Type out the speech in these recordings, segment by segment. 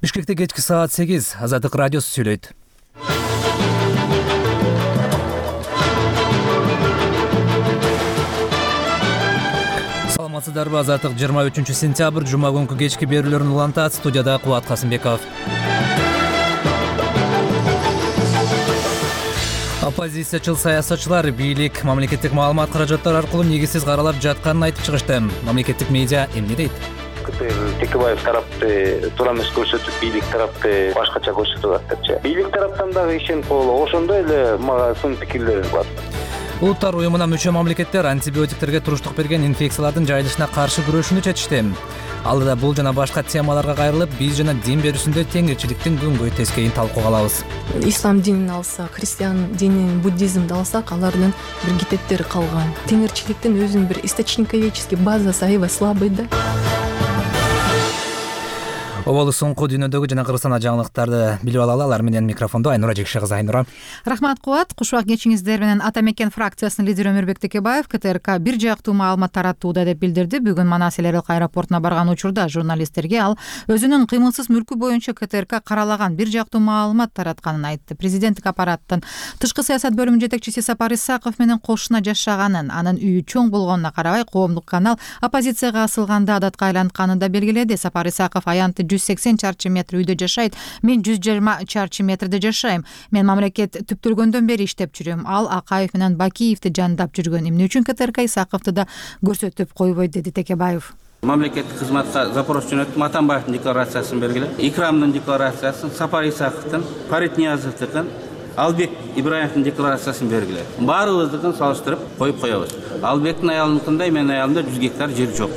Бишкекте кечки саат 8 Азаттык радиосу сүйлөйт. Саламатсыздарбы? Азаттык 23 сентябрь жума күнкү кечки берүүлөрүн улантат. Студияда Кубат Касымбеков. Оппозициячыл саясатчылар бийлик мамлекеттик маалымат каражаттары аркылуу негизсиз каралап жатканын айтып чыгышты. Мамлекеттик медиа эмне дейт? Текебаев тарапты туура эмес көрсөтүп, бийлик тарапты башкача көрсөтүп атышчы. Бийлик тараптан дагы ишенip боло, ошондой эле мага сын пикирлер бар. Улуттар уюмуна мүчө мамлекеттер антибиотиктерге туруштук берген инфекциялардын жайылышына каршы күрөшүүнү чечишти. Алдыда бул жана башка темаларга кайрылып, биз жана дин берүүсүндө теңирчиликтин күнгөй тескейин талкууга алабыз. Ислам динин алсак, христиан динин, буддизмди алсак, алардын бир китептери калган. Теңирчиликтин өзүнүн бир источниковедческий базасы аябай слабый да. Оболу соңку дүйнөдөгү жана Кыргызстан жаңылыктарды билип алалы. Алар менен микрофондо Айнура Жекше кызы. Айнура. Рахмат Кубат. Кушубак кечиңиздер менен Ата Мекен фракциясынын лидери Өмүрбек Текебаев КТРК бир жактуу маалымат таратууда деп билдирди. Бүгүн Манас эл Айрылык аэропортуна барган учурда журналисттерге ал өзүнүн кыймылсыз мүлкү боюнча КТРК каралаган бир жактуу маалымат таратканын айтты. Президенттик аппараттын тышкы саясат бөлүмүнүн жетекчиси Сапар Исаков менен кошуна жашаганын, анын үйү чоң болгонуна карабай, коомдук канал оппозицияга асылганда адатка айлантканын да белгиледи. Сапар Исаков аянты 180 чарчы метр үйдө жашайт. Мен 120 чарчы метрде жашайм. Мен мамлекет түптөлгөндөн бери иштеп жүрөм. Ал Акаев менен Бакиевди жандап жүргөн. Эмне үчүн КТРК Исаковду да көрсөтүп койбойт, деди Текебаев. Мамлекеттик кызматка запрос жөнөттүм. Атамбаевдин декларациясын бергиле. Икрамдын декларациясын, Сапар Исаковдун, Фарид Ниязовдукун, Албек Ибраевдин декларациясын бергиле. Баарыбыздыкын салыштырып коюп коебуз. Албектин аялыныкындай менин аялымда 100 гектар жер жок.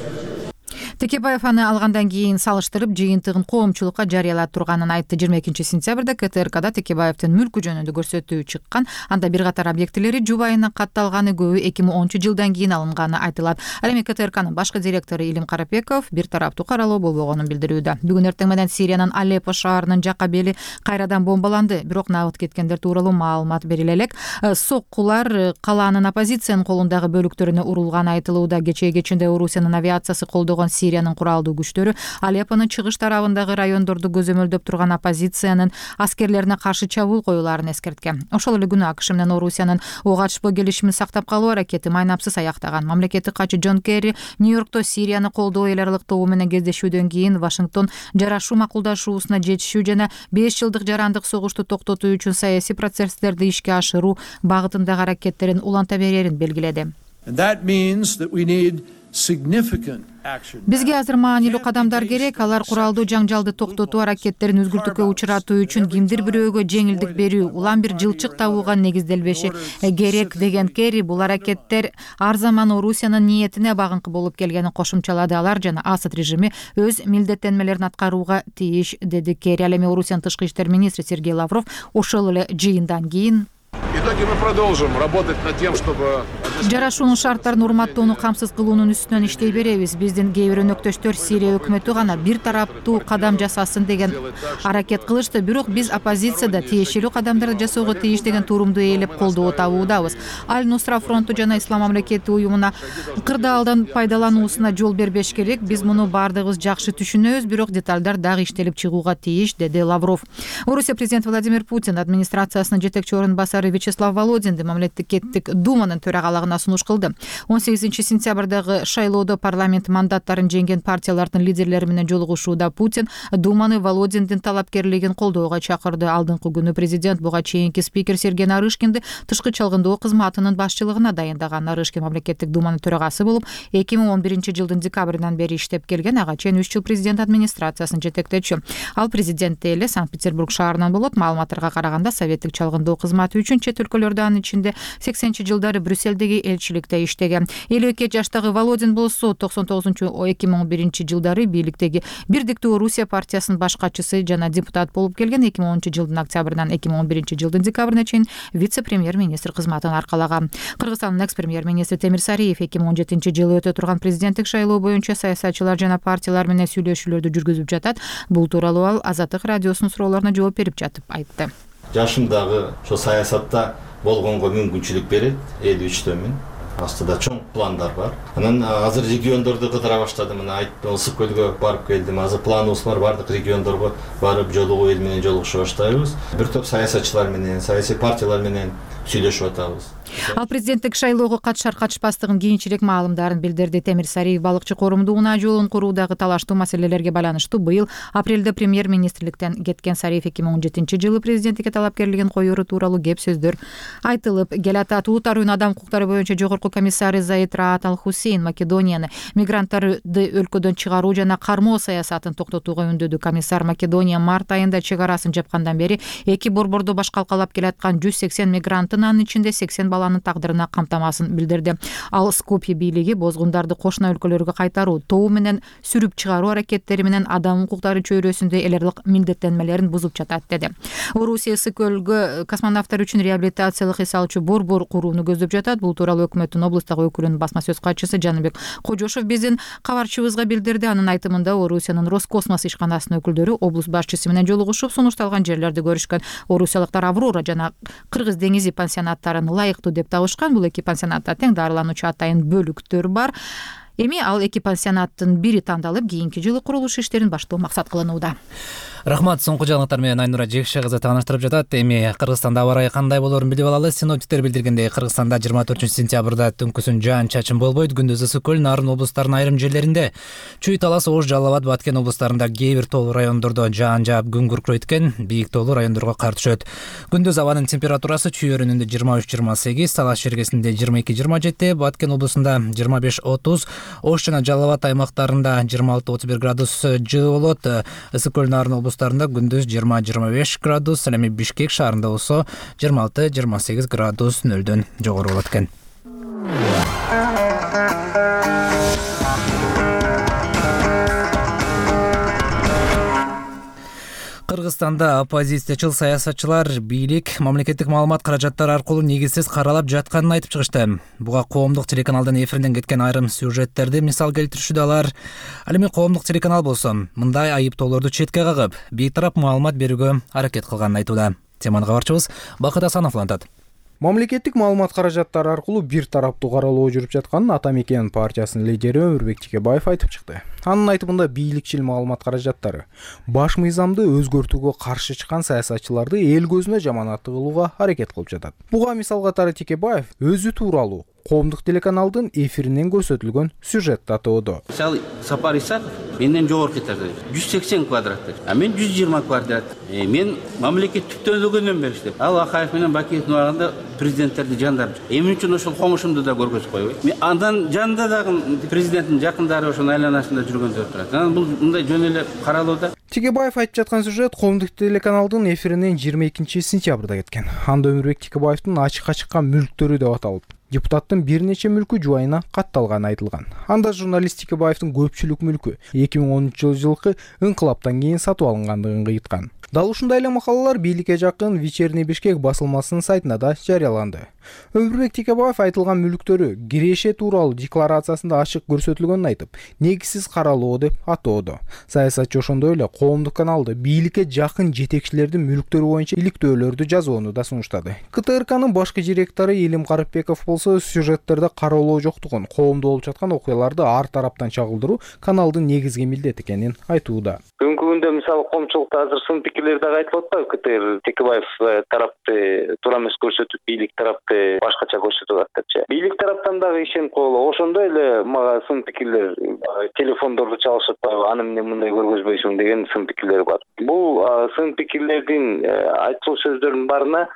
Текебаев аны алгандан кийин салыштырып, жыйынтыгын коомчулукка жарыялап турганын айтты. 22 сентябрда КТРКда Текебаевдин мүлкү жөнүндө көрсөтүү чыккан. Анда бир катар объектилери жубайына катталганы, көбү 2010-жылдан кийин алынганы айтылат. Ал эми КТРКнын башкы директору Илим Карапеков бир тараптуу каралоо болбогонун билдирүүдө. Бүгүн эртең менен Сириянын Алеппо шаарынын жакка бели кайрадан бомбаланды. Бирок набыт кеткендер тууралуу маалымат бериле элек. Соккулар калаанын оппозициянын колундагы бөлүктөрүнө урулганы айтылууда. Кечээ кечинде Орусиянын авиациясы колдогон Сириянын куралдуу күчтөрү Алеппонун чыгыш тарабындагы райондорду көзөмөлдөп турган оппозициянын аскерлерине каршы чабуул коюуларын эскерткен. Ошол эле күнү АКШ менен Орусиянын ок ачпоо келишимин сактап калуу аракети майнапсыз аяктаган. Мамлекеттик катчы Джон Керри Нью-Йоркто Сирияны колдоо эл аралык тобу менен кездешүүдөн кийин Вашингтон жарашуу макулдашуусуна жетишүү жана 5 жылдык жарандык согушту токтотуу үчүн саясий процесстерди ишке ашыруу багытындагы аракеттерин уланта берерин белгиледи. Бизге азыр маанилүү кадамдар керек. Алар куралдуу жаңжалды токтотуу аракеттерин үзгүлтүккө учуратуу үчүн кимдир бирөөгө жеңилдик берүү, улам бир жылчык табууга негизделбеши керек, деген Керри бул аракеттер ар заман Орусиянын ниетине багынкы болуп келгенин кошумчалады. Алар жана Асад режими өз милдеттенмелерин аткарууга тийиш, деди Керри. Ал эми Орусиянын тышкы иштер министри Сергей Лавров ошол эле жыйындан кийин жарашуунун шарттарын урматтоону камсыз кылуунун үстүнөн иштей беребиз. Биздин кээ бир өнөктөштөр Сирия өкмөтү гана бир тараптуу кадам жасасын деген аракет кылышты. Бирок биз оппозицияда тиешелүү кадамдарды жасоого тийиш деген турумду ээлеп колдоо табуудабыз. Аль-Нусра фронту жана Ислам мамлекети уюмуна кырдаалдан пайдалануусуна жол бербеш керек. Биз муну баардыгыбыз жакшы түшүнөбүз, бирок детальдар дагы иштелип чыгууга тийиш, деди Лавров. Орусия президенти Владимир Путин администрациясынын жетекчи орун басары Вячеслав Володинди мамлекеттик думанын төрагалыгына сунуш кылды. 18 сентябрдагы шайлоодо парламент мандаттарын жеңген партиялардын лидерлери менен жолугушууда Путин думаны Володиндин талапкерлигин колдоого чакырды. Алдыңкы күнү президент буга чейинки спикер Сергей Нарышкинди тышкы чалгындоо кызматынын башчылыгына дайындаган. Нарышкин мамлекеттик думанын төрагасы болуп 2011-жылдын декабрынан бери иштеп келген. Ага чейин 3 жыл президент администрациясын жетектечү. Ал президентте эле Санкт-Петербург шаарынан болот. Маалыматтарга караганда советтик чалгындоо кызматы үчүн чет өлкөлөрдө, анын ичинде 80-жылдары Брюссельдеги элчиликте иштеген. 52 жаштагы Володин болсо 99-2011-жылдары бийликтеги Бирдиктүү Орусия партиясынын баш катчысы жана депутат болуп келген. 2010-жылдын октябрынан 2011-жылдын декабрына чейин вице-премьер-министр кызматын аркалаган. Кыргызстандын экс-премьер-министри Темир Сариев 2017-жылы өтө турган президенттик шайлоо боюнча саясатчылар жана партиялар менен сүйлөшүүлөрдү жүргүзүп жатат. Бул тууралуу ал Азаттык радиосунун суроолоруна жооп берип жатып айтты. Жашым дагы ошо саясатта болгонго мүмкүнчүлүк берет. 53-төмүн. астыда чоң пландар бар. Анан азыр региондорду кыдыра баштадым. Мына айттым, Ысык көлгө барып келдим. Азыр планыбыз бар, бардык региондорго барып жолугуу эл менен жолугуша баштайбыз. Бир топ саясатчылар менен, саясий партиялар менен сүйлөшүп атабыз. Ал президенттик шайлоого катышар катышпастыгын кийинчерээк маалымдарын билдирди. Темир Сариев балыкчы коомдук унаа жолун куруудагы талаштуу маселелерге байланыштуу быйыл апрелде премьер-министрликтен кеткен Сариев 2017-жылы президенттикке талапкерлигин коюру тууралуу кеп сөздөр айтылып келатат. Улуттар уюну адам укуктары боюнча жогорку комиссары Заид Раат Ал-Хусейн Македонияны мигранттарды өлкөдөн чыгаруу жана кармоо саясатын токтотууга үндөдү. Комиссар Македония март айында чек арасын жапкандан бери эки борбордо башкалкалап келаткан 180 мигранттын, анын ичинде 80 баланын тагдырына камтамасын билдирди. Ал Скопье бийлиги бозгундарды кошуна өлкөлөргө кайтаруу, тоо менен сүрүп чыгаруу аракеттери менен адам укуктары чөйрөсүндө элерлик милдеттенмелерин бузуп жатат деди. Орусия Ысык көлгө космонавттар үчүн реабилитациялык эс алчу борбор курууну көздөп жатат. Бул тууралуу өкмөттүн облустагы өкүлүнүн басма сөз катчысы Жаныбек Кожошов биздин кабарчыбызга билдирди. Анын айтымында Орусиянын Роскосмос ишканасынын өкүлдөрү облус башчысы менен жолугушуп, сунушталган жерлерди көрүшкөн. Орусиялыктар Аврора жана Кыргыз деңизи пансионаттарын ылайыктуу деп табышкан. Бул эки пансионатта тең дарылануучу атайын бөлүктөр бар. Эми ал эки пансионаттын бири тандалып, кийинки жылы курулуш иштерин баштоо максат кылынууда. Рахмат, соңку жаңылыктар менен Айнура Жекше кызы тааныштырып жатат. Эми Кыргызстанда аба ырайы кандай болоорун билип алалы. Синоптиктер билдиргендей, Кыргызстанда 24-сентябрда түнкүсүн жаан-чачын болбойт. Күндүз Ысык көл, Нарын облустарынын айрым жерлеринде, Чүй, Талас, Ош, Жалал Абад, Баткен облустарында кээ бир тоолуу райондордо жаан жаап күн күркүрөйт экен. Бийик тоолуу райондорго кар түшөт. Күндүз абанын температурасы Чүй өрүнүндө 23-28, Талас жергесинде 22-27, Баткен облусунда 25-30, Ош жана Жалал Абад аймактарында 26-31 градус жылы болот. Ысык көл, Нарын облустарында күндүз 20-25 градус, эми Бишкек шаарында болсо 26-28 градус нөлдөн жогору болот экен. Кыргызстанда оппозициячыл саясатчылар бийлик мамлекеттик маалымат каражаттары аркылуу негизсиз каралап жатканын айтып чыгышты. Буга коомдук телеканалдын эфиринден кеткен айрым сюжеттерди мисал келтиришүүдө алар. Ал эми коомдук телеканал болсо мындай айыптоолорду четке кагып, бейтарап маалымат берүүгө аракет кылганын айтууда. Теманы кабарчыбыз Бакыт Асанов улантат. Мамлекеттик маалымат каражаттары аркылуу бир тараптуу каралоо жүрүп жатканын Ата Мекен партиясынын лидери Өмүрбек Текебаев айтып чыкты. Анын айтымында бийликчил маалымат каражаттары баш мыйзамды өзгөртүүгө каршы чыккан саясатчыларды эл көзүнө жаманат кылууга аракет кылып жатат. Буга мисал катары Текебаев өзү тууралуу коомдук телеканалдын эфиринен көрсөтүлгөн сюжетти атоодо. Мисалы Сапар Исаков менден жогорку этажда 180 квадрат, а мен 120 квадрат. Мен мамлекет түптөлгөндөн бери иштеп, ал Акаев менен Бакиевдин убагында президенттерди жандарып, эмне үчүн ошол комушумду да көргөзүп койбойт. Мен андан жанында дагы президенттин жакындары ошонун айланасында жүргөндөр турат. Анан бул мындай жөн эле каралууда. Текебаев айтып жаткан сюжет коомдук телеканалдын эфиринен 22-сентябрда кеткен. Анда Өмүрбек Текебаевдин ачыкка чыккан мүлктөрү деп аталып, депутаттын бир нече мүлкү жубайына катталганы айтылган. Анда журналист Текебаевдин көпчүлүк мүлкү 2013-жылкы ыңкылаптан кийин сатып алынгандыгын кыйткан. Дал ушундай эле макалалар бийликке жакын Вечерний Бишкек басылмасынын сайтында да жарыяланды. Өмүрбек Текебаев айтылган мүлктөрү киреше тууралуу декларациясында ачык көрсөтүлгөнүн айтып, негизсиз каралоо деп атоодо. Саясатчы ошондой эле коомдук каналды бийликке жакын жетекчилердин мүлктөрү боюнча иликтөөлөрдү жазууну да сунуштады. КТРКнын башкы директору Илим Карыпбеков болсо сюжеттерде каралоо жоктугун, коомдо болуп жаткан окуяларды ар тараптан чагылдыруу каналдын негизги милдети экенин айтууда. Бүгүнкү күндө мисалы коомчулукта азыр сын пикирлер дагы айтылып атпайбы? КТР Текебаев тарапты туура эмес көрсөтүп, бийлик тарапты башкача көрсөтүп ататчы. Бийлик тараптан дагы ишенип койгула. Ошондой эле мага сын пикирлер, телефондорду чалышып, аны менен мындай көргөзбөйсүң деген сын пикирлер бар. Бул сын пикирлердин айтылуу сөздөрдүн баарына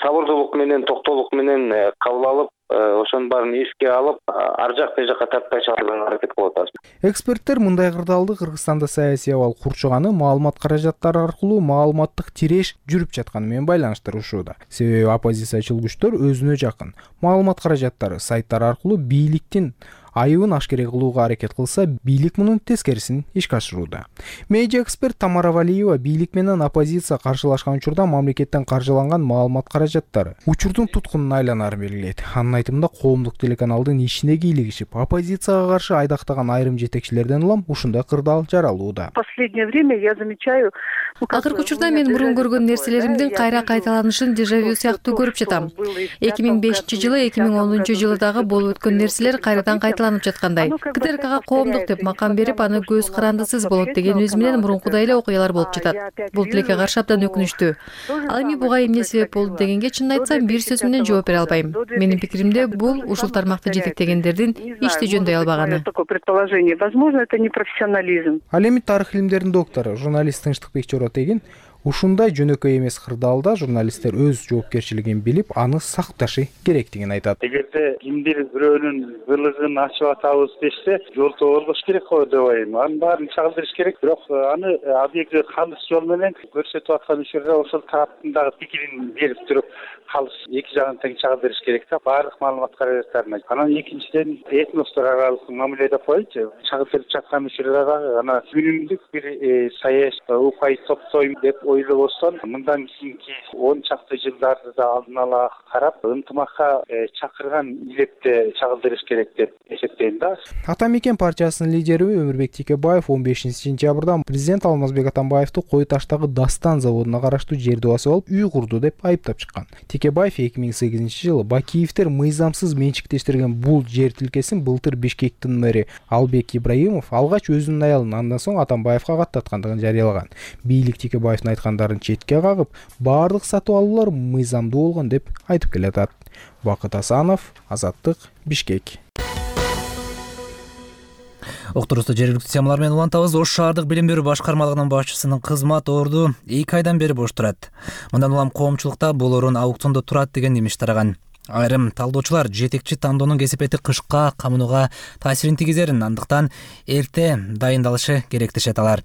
сабырдуулук менен, токтоолук менен кабыл алып, ошонун баарын эске алып, ар жак бир жакка тартпай чыгарууга аракет кылып атабыз. Эксперттер мындай кырдаалды Кыргызстанда саясий абал курчуганы маалымат каражаттары аркылуу маалыматтык тиреш жүрүп жатканы менен байланыштырышууда. Себеби оппозициячыл күчтөр өзүнө жакын маалымат каражаттары сайттар аркылуу бийликтин айыбын ашкере кылууга аракет кылса, бийлик мунун тескерисин ишке ашырууда. Медиа эксперт Тамара Валиева бийлик менен оппозиция каршылашкан учурда мамлекеттен каржыланган маалымат каражаттары учурдун туткунуна айланарын белгилейт. Анын айтымында коомдук телеканалдын ишине кийлигишип, оппозицияга каршы айдактаган айрым жетекчилерден улам ушундай кырдаал жаралууда. Последнее время я замечаю, акыркы учурда мен мурун көргөн нерселеримдин кайра кайталанышын дежавю сыяктуу көрүп жатам. 2005-жылы, 2010-жылы дагы болуп өткөн нерселер кайрадан кайталанып жаткандай. КТРКга коомдук деп макам берип, аны көз карандысыз болот дегенибиз менен мурункудай эле окуялар болуп жатат. Бул тилекке каршы абдан өкүнүчтүү. Ал эми буга эмне себеп болду дегенге чынын айтсам, бир сөз менен жооп бере албайм. Менин пикиримде, бул ушул тармакты жетектегендердин ишти жөндөй албаганы. Возможно, это не профессионализм. Ал эми тарых илимдеринин доктору, журналист Тынчтыкбек Чоротегин ушундай жөнөкөй эмес кырдаалда журналисттер өз жоопкерчилигин билип, аны сакташы керектигин айтат. Эгерде кимдир бирөөнүн кылыгын ачып атабыз десе, жол тоболбош керек го деп ойлойм. Анын баарын чагылдырыш керек. Бирок аны объективдүү калыс жол менен көрсөтүп аткан учурда ошол тараптын дагы пикирин берип туруп, калыс эки жагын тең чагылдырыш керек да, баардык маалымат каражаттарына. Анан экинчиден этностор аралык мамиле деп койчу. Чагылдырып жаткан учурда дагы ана үнүмдүк бир саясий упай топтойм деп ойлобостон, мындан кийинки 10 чакты жылдарды да алдын ала карап, ынтымакка чакырган илепте чагылдырыш керек деп эсептейм да. Ата Мекен партиясынын лидери Өмүрбек Текебаев 15-сентябрда президент Алмазбек Атамбаевду Кой Таштагы Дастан заводуна караштуу жерди басып алып, үй курду деп айыптап чыккан. Текебаев 2008-жылы Бакиевдер мыйзамсыз менчиктештирген бул жер тилкесин былтыр Бишкектин мэри Албек Ибраимов алгач өзүнүн аялын, андан соң Атамбаевга каттаткандыгын жарыялаган. Бийлик Текебаевдин айткандарын четке кагып, баардык сатып алуулар мыйзамдуу болгон деп айтып келатат. Бакыт Асанов, Азаттык, Бишкек. Окторусу жергиликтүү темалар менен улантабыз. Ош шаардык билим берүү башкармалыгынын башчысынын кызмат орду 2 айдан бери бош турат. Мындан улам коомчулукта бул орун аукциондо турат деген имиш тараган. Айрым талдоочулар жетекчи тандоонун кесипети кышка камынууга таасирин тийгизерин, андыктан эрте дайындалышы керек дешет алар.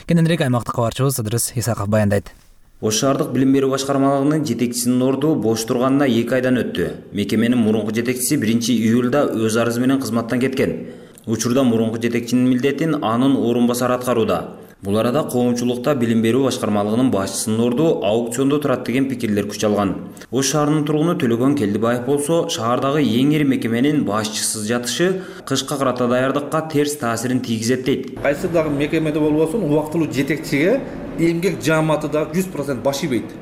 Кененирээк аймактык кабарчыбыз Ыдырыс Исаков баяндайт. Ош шаардык билим берүү башкармалыгынын жетекчисинин орду бош турганына 2 айдан өттү. Мекеменин мурунку жетекчиси 1-июлда өз арызы менен кызматтан кеткен. Учурда мурунку жетекчинин милдетин анын орун басары аткарууда. Бул арада коомчулукта билим берүү башкармалыгынын башчысынын орду аукциондо турат деген пикирлер күч алган. Ош шаарынын тургуну Төлөгөн Келдибаев болсо, шаардагы эң ири мекеменин башчысыз жатышы кышка карата даярдыкка терс таасирин тийгизет дейт. Кайсы дагы мекемеде болбосун, убактылуу жетекчиге эмгек жааматы да 100% баш ийбейт,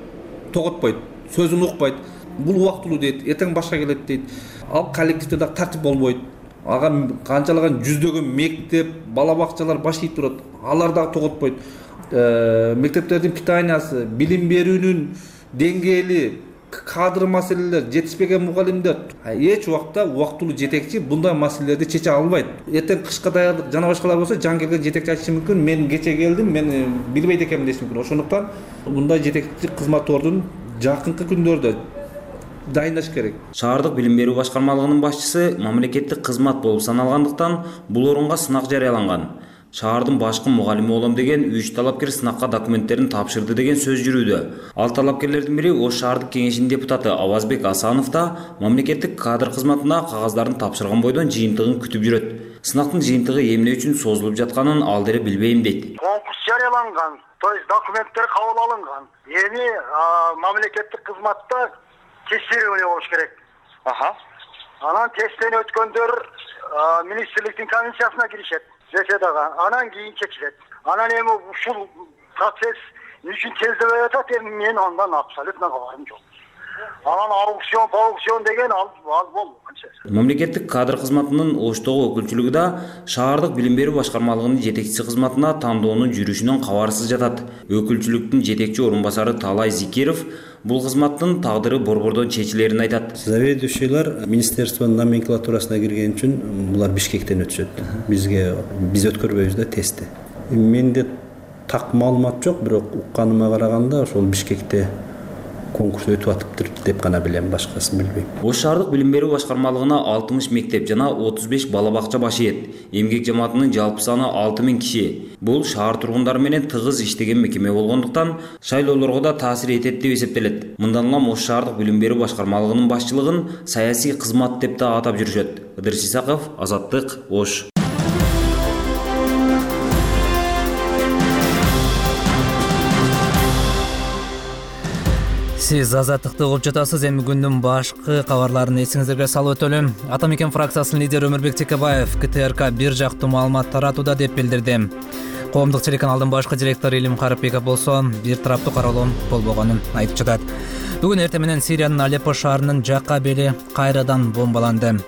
тоготпойт, сөзүн укпайт. Бул убактылуу дейт, эртең башка келет дейт. Ал коллективде дагы тартип болбойт. Ага канчалаган жүздөгөн мектеп, бала бакчалар баш ийип турат. Алар дагы тоготпойт. Мектептердин питаниясы, билим берүүнүн деңгээли, кадр маселелер, жетишпеген мугалимдер эч убакта убактылуу жетекчи bunday маселелерди чече албайт. Эртең кышка даярдык жана башкалар болсо, жаңы келген жетекчи айтышы мүмкүн, мен кече келдим, мен билбейт экенмин деши мүмкүн. Ошондуктан bunday жетекчи кызмат ордун жакынкы күндөрдө дайындаш керек. Шаардык билим берүү башкармалыгынын башчысы мамлекеттик кызмат болуп саналгандыктан бул орунга сынак жарыяланган. Шаардын башкы мугалими болом деген 3 талапкер сынакка документтерин тапшырды деген сөз жүрүүдө. Ал талапкерлердин бири Ош шаардык кеңешинин депутаты Авазбек Асанов да мамлекеттик кадр кызматына кагаздарын тапшырган бойдон жыйынтыгын күтүп жүрөт. Сынактын жыйынтыгы эмне үчүн созулуп жатканын ал деле билбейм дейт. Конкурс жарыяланган, то есть документтер кабыл алынган. Эми мамлекеттик кызматта тестирование болуш керек. Анан тесттен өткөндөр министрликтин комиссиясына киришет. Анан кийин чечилет. Анан эми ушул процесс үчүн тездебей атат, эми мен андан абсолютно кабарым жок. Анан аукцион деген ал болду. Мамлекеттик кадр кызматынын Оштогу өкүлчүлүгү да шаардык билим берүү башкармалыгынын жетекчиси кызматына тандоонун жүрүшүнөн кабарсыз жатат. Өкүлчүлүктүн жетекчи орун басары Талай Зикиров бул кызматтын тагдыры борбордон чечилерин айтат. Заведующийлер министерствонун номенклатурасына кирген үчүн булар Бишкектен өтүшөт. Биз өткөрбөйбүз да тестти. Менде так маалымат жок, бирок укканыма караганда ошол Бишкекте конкурс өтүп атыптыр деп гана билем, башкасын билбейм. Ош шаардык билим берүү башкармалыгына 60 мектеп жана 35 бала бакча башыйт. Эмгек жамаатынын жалпы саны 6000 киши. Бул шаар тургундары менен тыгыз иштеген мекеме болгондуктан шайлоолорго да таасир этет деп эсептелет. Мындан улам Ош шаардык билим берүү башкармалыгынын башчылыгын саясий кызмат деп да атап жүрүшөт. Ыдырыс Исаков, Азаттык, Ош. Сиз Азаттыкты угуп жатасыз. Эми күндүн башкы кабарларын эсиңиздерге салып өтөлүм. Ата мекен фракциясынын лидери Өмүрбек Текебаев КТРК бир жактуу маалымат таратууда деп билдирди. Коомдук телеканалдын башкы директору Илим Карапбеков болсо бир тараптуу кароолоо болбогонун айтып жатат. Бүгүн эртең менен Сириянын Алеппо шаарынын жакка бели кайрадан бомбаланды.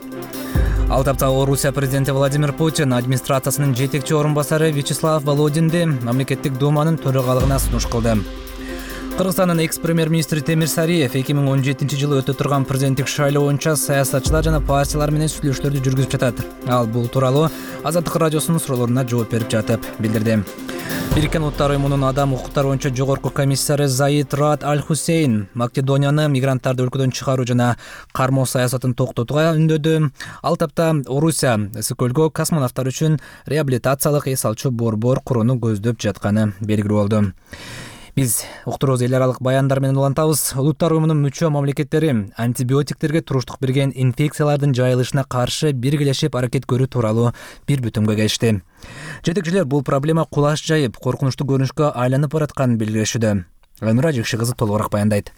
Ал тапта Орусия президенти Владимир Путин администрациясынын жетекчи орун басары Вячеслав Володинди мамлекеттик думанын төрагалыгына сунуш кылды. Кыргызстандын экс-премьер-министри Темир Сариев 2017-жылы өтө турган президенттик шайлоо боюнча саясатчылар жана партиялар менен сүйлөшүүлөрдү жүргүзүп жатат. Ал бул тууралуу Азаттык радиосунун суроолоруна жооп берип жатып билдирди. Бириккен Улуттар уюмунун адам укуктары боюнча жогорку комиссары Заид Раад Аль-Хусейн Македонияны мигранттарды өлкөдөн чыгаруу жана кармоо саясатын токтотууга үндөдү. Ал тапта Орусия Ысык-көлгө космонавттар үчүн реабилитациялык эс алчу борбор курууну көздөп жатканы белгилүү болду. Биз уктуруубуз эл аралык баяндар менен улантабыз. Улуттар уюмунун мүчө мамлекеттери антибиотиктерге туруштук берген инфекциялардын жайылышына каршы биргелешип аракет көрүү тууралуу бир бүтүмгө келишти. Жетекчилер бул проблема кулаш жайып, коркунучтуу көрүнүшкө айланып баратканын белгилешүүдө. Өнүра Жекши кызы толугураак баяндайт.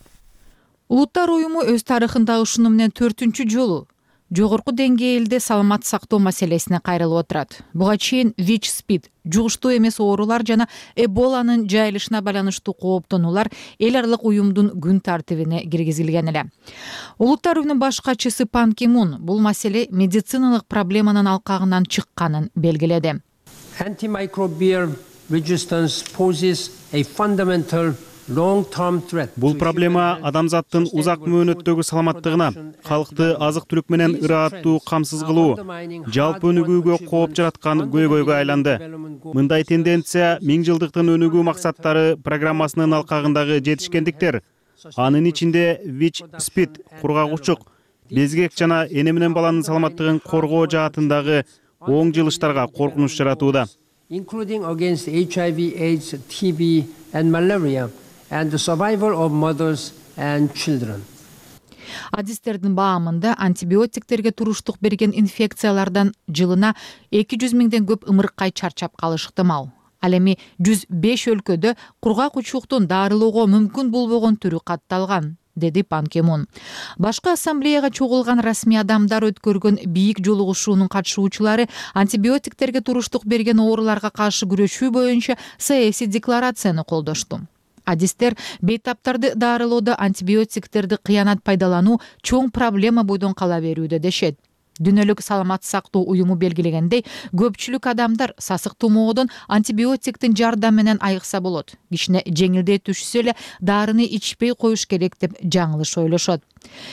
Улуттар уюму өз тарыхында ушуну менен 4-үнчү жолу жогорку деңгээлде саламат сактоо маселесине кайрылып отурат. Буга чейин ВИЧ-СПИД, жугуштуу эмес оорулар жана Эболанын жайылышына байланыштуу кооптонуулар эл аралык уюмдун күн тартибине киргизилген эле. Улуттар уюмунун баш катчысы Пан Ки Мун бул маселе медициналык проблеманын алкагынан чыкканын белгиледи. Antimicrobial resistance poses a fundamental Бул проблема адамзаттын узак мөөнөттөгү саламаттыгына, калкты азык-түлүк менен ырааттуу камсыз кылуу, жалпы өнүгүүгө кооп жараткан көйгөйгө айланды. Мындай тенденция 1000 жылдыктын өнүгүү максаттары программасынын алкагындагы жетишкендиктер, анын ичинде ВИЧ-СПИД, кургагучук, безгек жана эне менен баланын саламаттыгын коргоо жаатындагы оң жылыштарга коркунуч жаратууда. Including against HIV, AIDS, TB and malaria. And the survival of mothers and children. Адистердин баамында антибиотиктерге туруштук берген инфекциялардан жылына 200 миңден көп ымыркай чарчап калышы ыктымал. Ал эми 105 өлкөдө кургак учуктун дарылоого мүмкүн болбогон түрү катталган, деди Пан Ки Мун. Башкы ассамблеяга чогулган расмий адамдар өткөргөн бийик жолугушуунун катышуучулары антибиотиктерге туруштук берген ооруларга каршы күрөшүү боюнча саясий декларацияны колдошту. Адистер бейтаптарды дарылоодо антибиотиктерди кыянат пайдалануу чоң проблема бойдон кала берүүдө дешет. Дүйнөлүк саламат сактоо уюму белгилегендей, көпчүлүк адамдар сасык тумоодон антибиотиктин жардамы менен айыкса болот. Кичине жеңилдей түшсө эле дарыны ичпей коюш керек деп жаңылыш ойлошот.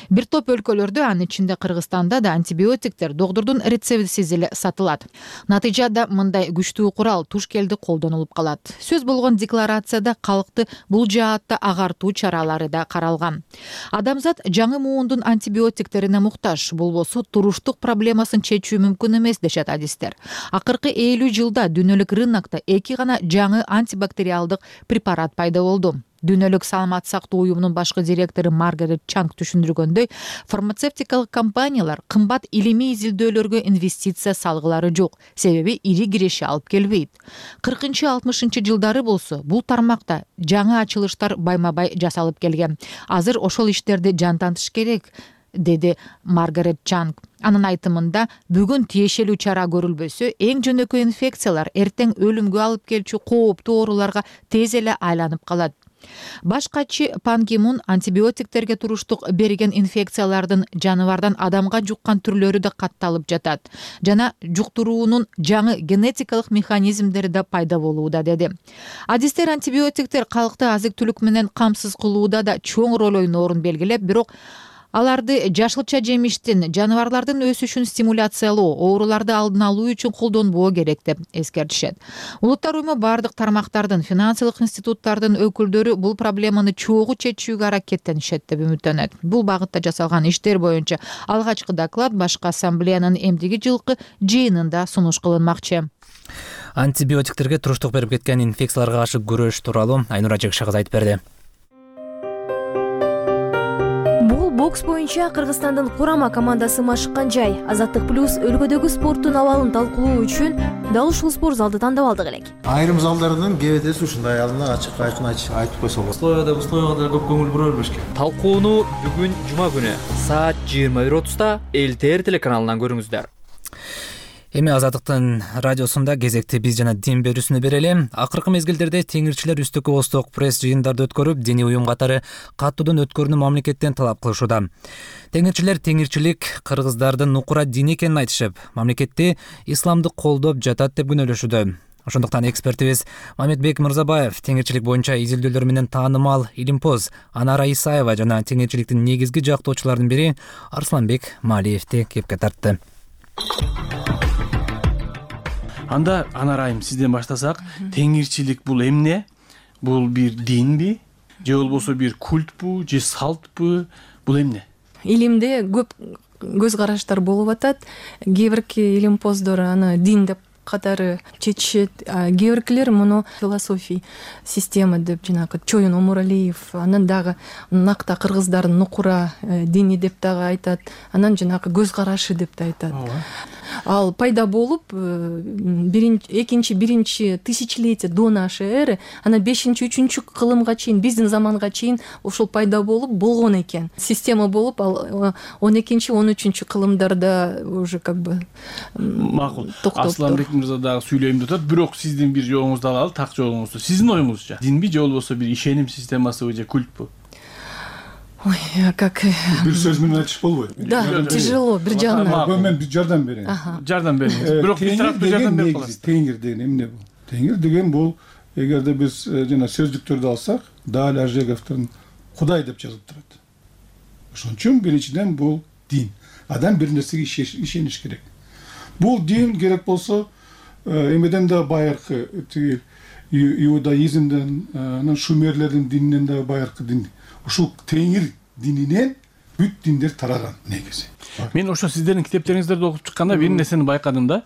Бир топ өлкөлөрдө, анын ичинде Кыргызстанда да антибиотиктер доктурдун рецептисиз эле сатылат. Натыйжада мындай күчтүү курал туш келди колдонулуп калат. Сөз болгон декларацияда калкты бул жаатта агартуу чаралары да каралган. Адамзат жаңы муундун антибиотиктерине муктаж, болбосо туруштук проблемасын чечүү мүмкүн эмес дешет адистер. Акыркы 50 жылда дүйнөлүк рынокто 2 гана жаңы антибактериалдык препарат пайда болду. Дүйнөлүк саламат сактоо уюмунун башкы директору Маргарет Чанг түшүндүргөндөй, фармацевтикалык компаниялар кымбат илимий изилдөөлөргө инвестиция салгылары жок, себеби ири киреши алып келбейт. 40-60 жылдары болсо, бул тармакта жаңы ачылыштар байма-бай жасалып келген. Азыр ошол иштерди жантантыш керек, деди Маргарет Чанг. Анын айтымында, бүгүн тиешелүү чара көрүлбөсө, эң жөнөкөй инфекциялар эртең өлүмгө алып келчү кооптуу ооруларга тез эле айланып калат. Баш катчы Пан Ки Мун антибиотиктерге туруштук берген инфекциялардын жаныбардан адамга жуккан түрлөрү да катталып жатат жана жуктуруунун жаңы генетикалык механизмдери да пайда болууда, деди. Адистер антибиотиктер калкты азык-түлүк менен камсыз кылууда да чоң роль ойноорун белгилеп, бирок аларды жашылча жемиштин, жаныбарлардын өсүшүн стимуляциялоо, ооруларды алдын алуу үчүн колдонбоо керек деп эскертишет. Улуттар уюму бардык тармактардын, финансылык институттардын өкүлдөрү бул проблеманы чогуу чечүүгө аракеттенишет деп үмүттөнөт. Бул багытта жасалган иштер боюнча алгачкы доклад башкы ассамблеянын эмдиги жылкы жыйынында сунуш кылынмакчы. Антибиотиктерге туруштук берип кеткен инфекцияларга каршы күрөш тууралуу Айнура Жекши кызы айтып берди. Бул бокс боюнча Кыргызстандын курама командасы машыккан жай. Азаттык плюс өлкөдөгү спорттун абалын талкуулоо үчүн дал ушул спорт залды тандап алдык элек. Айрым залдардын кебетеси ушундай алдына ачык-айкын айтып койсо болот. Условияга да көп көңүл бура бербеш керек. Талкууну бүгүн жума күнү саат 21:30 ЛТР телеканалынан көрүңүздөр. Эми Азаттыктын радиосунда кезекти биз жана дин берүүсүнү берели. Акыркы мезгилдерде теңирчилер үстүккө осток пресс жыйындарды өткөрүп, диний уюм катары каттуудан өткөрүүнү мамлекеттен талап кылышууда. Теңирчилер теңирчилик кыргыздардын нукура дини экенин айтышып, мамлекетти исламды колдоп жатат деп күнөөлөшүүдө. Ошондуктан экспертибиз Мамедбек Мырзабаев теңирчилик боюнча изилдөөлөр менен таанымал илимпоз Анара Исаева жана теңирчиликтин негизги жактоочуларынын бири Арсланбек Малиевди кепке тартты. Анда Анарайым сизден баштасак, теңирчилик бул эмне? Бул бир динби, же болбосо бир культпу, же салтпу? Бул эмне? Илимде көп көз караштар болуп атат. Кээ бирки илимпоздор аны дин деп катары чечишет, кээ биркилер муну философий система деп, жанагы Чоюн Омуралиев, анан дагы накта кыргыздардын нукура дини деп дагы айтат, анан жанагы көз карашы деп да айтат. Ал пайда болуп, биринчи тысячелетие до нашей эры, анан 5-3 кылымга чейин, биздин заманга чейин ошол пайда болуп болгон экен. Система болуп, ал 12-13 кылымдарда уже как бы макул. Асланбек Мырза дагы сүйлөйм деп атат, бирок сиздин бир жолуңузду алалы, так жолуңузду. Сиздин оюңузча, динби же болбосо бир ишеним системасыбы же культпу? Ой, как... Бир сөз менен айтыш болбойт. Да, тяжело, бир жагынан. Мен бир жардам берейин. Жардам бериңиз. Бирок бир тараптуу жардам берип каласыз. Теңир деген эмне бул? Теңир деген бул, эгерде биз жана сөздүктөрдү алсак, Даль Ажеговдун Кудай деп жазылып турат. Ошон үчүн биринчиден бул дин. Адам бир нерсеге ишениш керек. Бул дин керек болсо, эмеден да байыркы, иудаизмден, анан шумерлердин дининен да байыркы дин. Ушул теңир дининен бүт диндер тараган негизи. Мен ошо сиздердин китептериңиздерди окуп чыкканда бир нерсени байкадым да.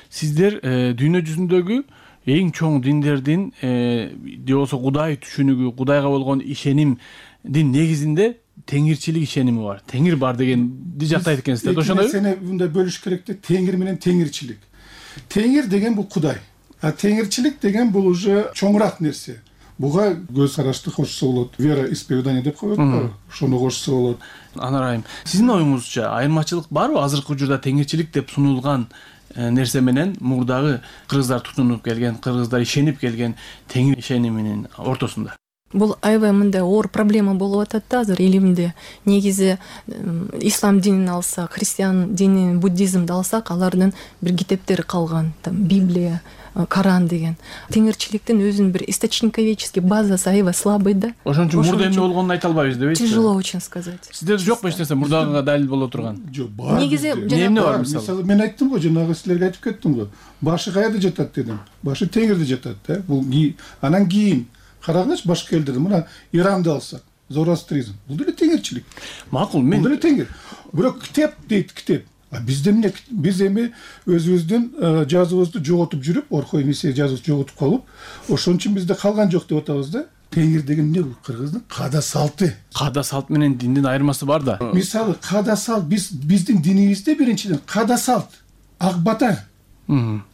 Сиздер дүйнө жүзүндөгү эң чоң диндердин же болбосо Кудай түшүнүгү, Кудайга болгон ишенимдин негизинде теңирчилик ишеними бар. Теңир бар дегенди жактайт экенсиздер. Ошондойбу? Сени мындай бөлүш керек да, теңир менен теңирчилик. Теңир деген бул Кудай. А теңирчилик деген бул уже чоңураак нерсе. Буга көз карашты кошсо болот, вера исповедание деп коет, ошону кошсо болот. Анарайым, сиздин оюңузча айырмачылык барбы азыркы учурда теңирчилик деп сунулган нерсе менен мурдагы кыргыздар тутунуп келген, кыргыздар ишенип келген теңир ишениминин ортосунда? Бул аябай мындай оор проблема болуп атат да азыр элимде. Негизи ислам динин алсак, христиан динин, буддизмди алсак, алардын бир китептери калган, Библия, Коран деген. Теңирчиликтин өзүнүн бир источниковеческий базасы аябай слабый да. Ошон үчүн мурда эмне болгонун айта албайбыз депсизби? Тяжело очень сказать. Сиздерде жокпу эч нерсе мурдагыга далил боло турган? Жок, бар. Негизи эмне бар мисалы? Мен айттым го, жанагы силерге айтып кеттим го. Башы каяда жатат дедим. Башы теңирде жатат да. Бул анан кийин карагыч башка элдерде, мына Иранды алсак, зороастризм. Бул деле теңирчилик. Макул, мен деле теңир. Бирок китеп дейт, китеп. Биз эми өзүбүздүн жазуубузду жоготуп жүрүп, Орхой Мессия жазуусун жоготуп калып, ошон үчүн бизде калган жок деп атабыз да. Теңир деген эмне бул? Кыргыздын каада салты. Каада салт менен диндин айырмасы бар да. Мисалы, каада салт биздин динибизде биринчиден каада салт, ак бата.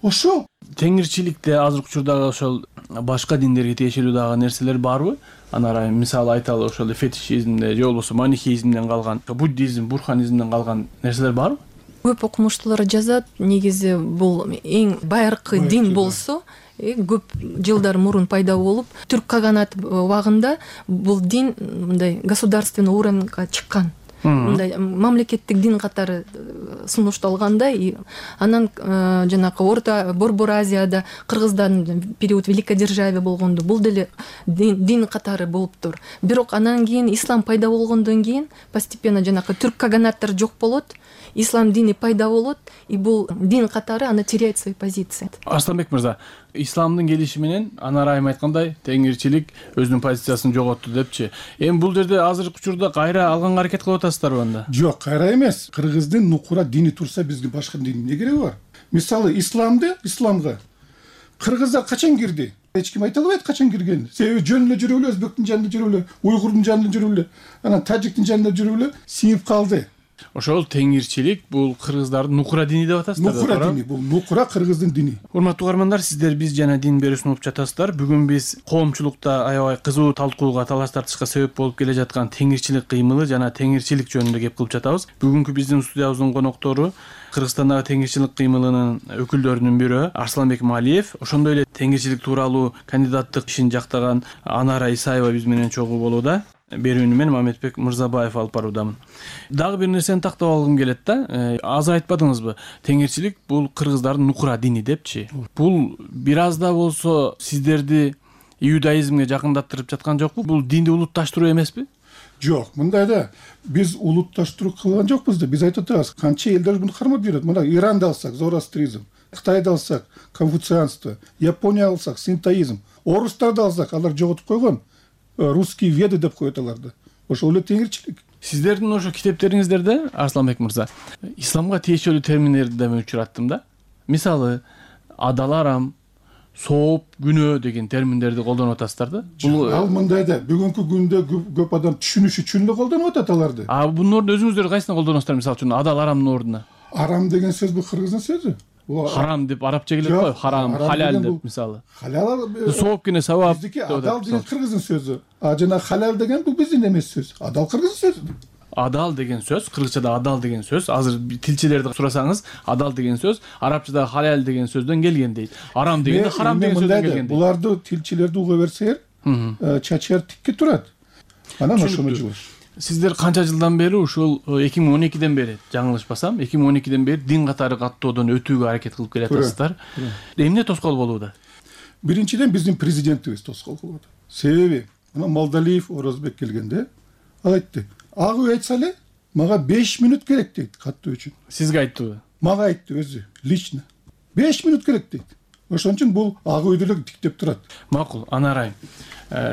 Ошол теңирчиликте азыркы учурдагы ошол башка диндерге тиешелүү дагы нерселер барбы? Анарайым мисалы айталы, ошол фетишизмде же болбосо манихеизмден калган, буддизм, бурханизмден калган нерселер барбы? Көп окумуштуулар жазат, негизи бул эң байыркы дин болсо, көп жылдар мурун пайда болуп, түрк каганаты убагында бул дин мындай государственный уровеньга чыккан. мындай мамлекеттик дин катары сунушталганда, анан жанакы Борбор Азияда кыргыздардын период великодержавие болгондо бул деле дин катары болуптур. Бирок анан кийин ислам пайда болгондон кийин постепенно жанакы түрк каганаттары жок болот, ислам дини пайда болот, и бул дин катары аны теряет свои позиции. Арсланбек мырза, исламдын келиши менен Анар айым айткандай теңирчилик өзүнүн позициясын жоготту депчи. Эми бул жерде азыркы учурда кайра алганга аракет кылып атасыздарбы анда? Жок, кайра эмес. Кыргыздын нукура дини турса бизге башка дин эмне кереги бар? Мисалы исламга кыргыздар качан кирди? Эч ким айта албайт качан киргенин. Себеби жөн эле жүрүп эле, өзбектин жанында жүрүп эле, уйгурдун жанында жүрүп эле, анан тажиктин жанында жүрүп эле сиңип калды. Ошол теңирчилик бул кыргыздардын нукура дини деп атасыздар. Нукура дини, бул нукура кыргыздын дини. Урматтуу угармандар, сиздер биз жана дин берүүсүн угуп жатасыздар. Бүгүн биз коомчулукта аябай кызуу талкууга, талаш тартышка себеп болуп келе жаткан теңирчилик кыймылы жана теңирчилик жөнүндө кеп кылып жатабыз. Бүгүнкү биздин студиябыздын коноктору Кыргызстандагы теңирчилик кыймылынын өкүлдөрүнүн бирөө Арсланбек Малиев, ошондой эле теңирчилик тууралуу кандидаттык ишин жактаган Анара Исаева биз менен чогуу болууда. Берүүнү мен Мамедбек Мырзабаев алып баруудамын. Дагы бир нерсени тактап алгым келет да. Аз айтпадыңызбы? Теңирчилик бул кыргыздардын нукура дини депчи. Бул бир аз да болсо сиздерди иудаизмге жакындаттырып жаткан жокпу? Бул динди улутташтыруу эмеспи? Жок, мындай да биз улутташтыруу кылган жокпуз да. Биз айтып атабыз, канча элдер муну кармап жүрөт. Мына Иранды алсак, зороастризм, Кытайды алсак, конфуцианство, Япония алсак, синтоизм, орустарды алсак, алар жоготуп койгон. Русские веды деп коет аларды. Ошол эле теңирчилик. Сиздердин ошо китептериңиздерде, Арсланбек мырза, исламга тиешелүү терминдерди да мен учураттым да. Мисалы, адал арам, сооп, күнөө деген терминдерди колдонуп атасыздар да. Ал мындай да, бүгүнкү күндө көп адам түшүнүш үчүн эле колдонуп атат аларды. Бунун ордуна өзүңүздөр кайсына колдоносуздар, мисалы үчүн адал арамдын ордуна? Арам деген сөз бул кыргыздын сөзү. Харам деп арабча келет го, харам, халал деп мисалы. Халал сооп кene савап. Биздики адал деген кыргыздын сөзү. Жана халал деген бул биздин эмес сөз. Адал кыргыздын сөзү. Адал деген сөз, кыргызчада адал деген сөз, азыр тилчилерди сурасаңыз, адал деген сөз арабчада халал деген сөздөн келген дейт. Арам дегенде харам деген сөздөн келген дейт. Буларды тилчилерди уга берсеңер, чачар тикке турат. Анан ошону жубуш. Сиздер канча жылдан бери ушул 2012ден бери, жаңылышпасам, 2012ден бери дин катары каттоодон өтүүгө аракет кылып келатасыздар. Эмне тоскоол болууда? Биринчиден биздин президентибиз тоскоол кылып атат. Себеби, мына Молдалиев Орозбек келгенде ал айтты: "Ак үй айтса эле, мага 5 минут керек" дейт каттоо үчүн. Сизге айттыбы? Мага айтты өзү, лично. 5 минут керек дейт. Ошон үчүн бул ак үйдү эле тиктеп турат. Макул, Анар айым.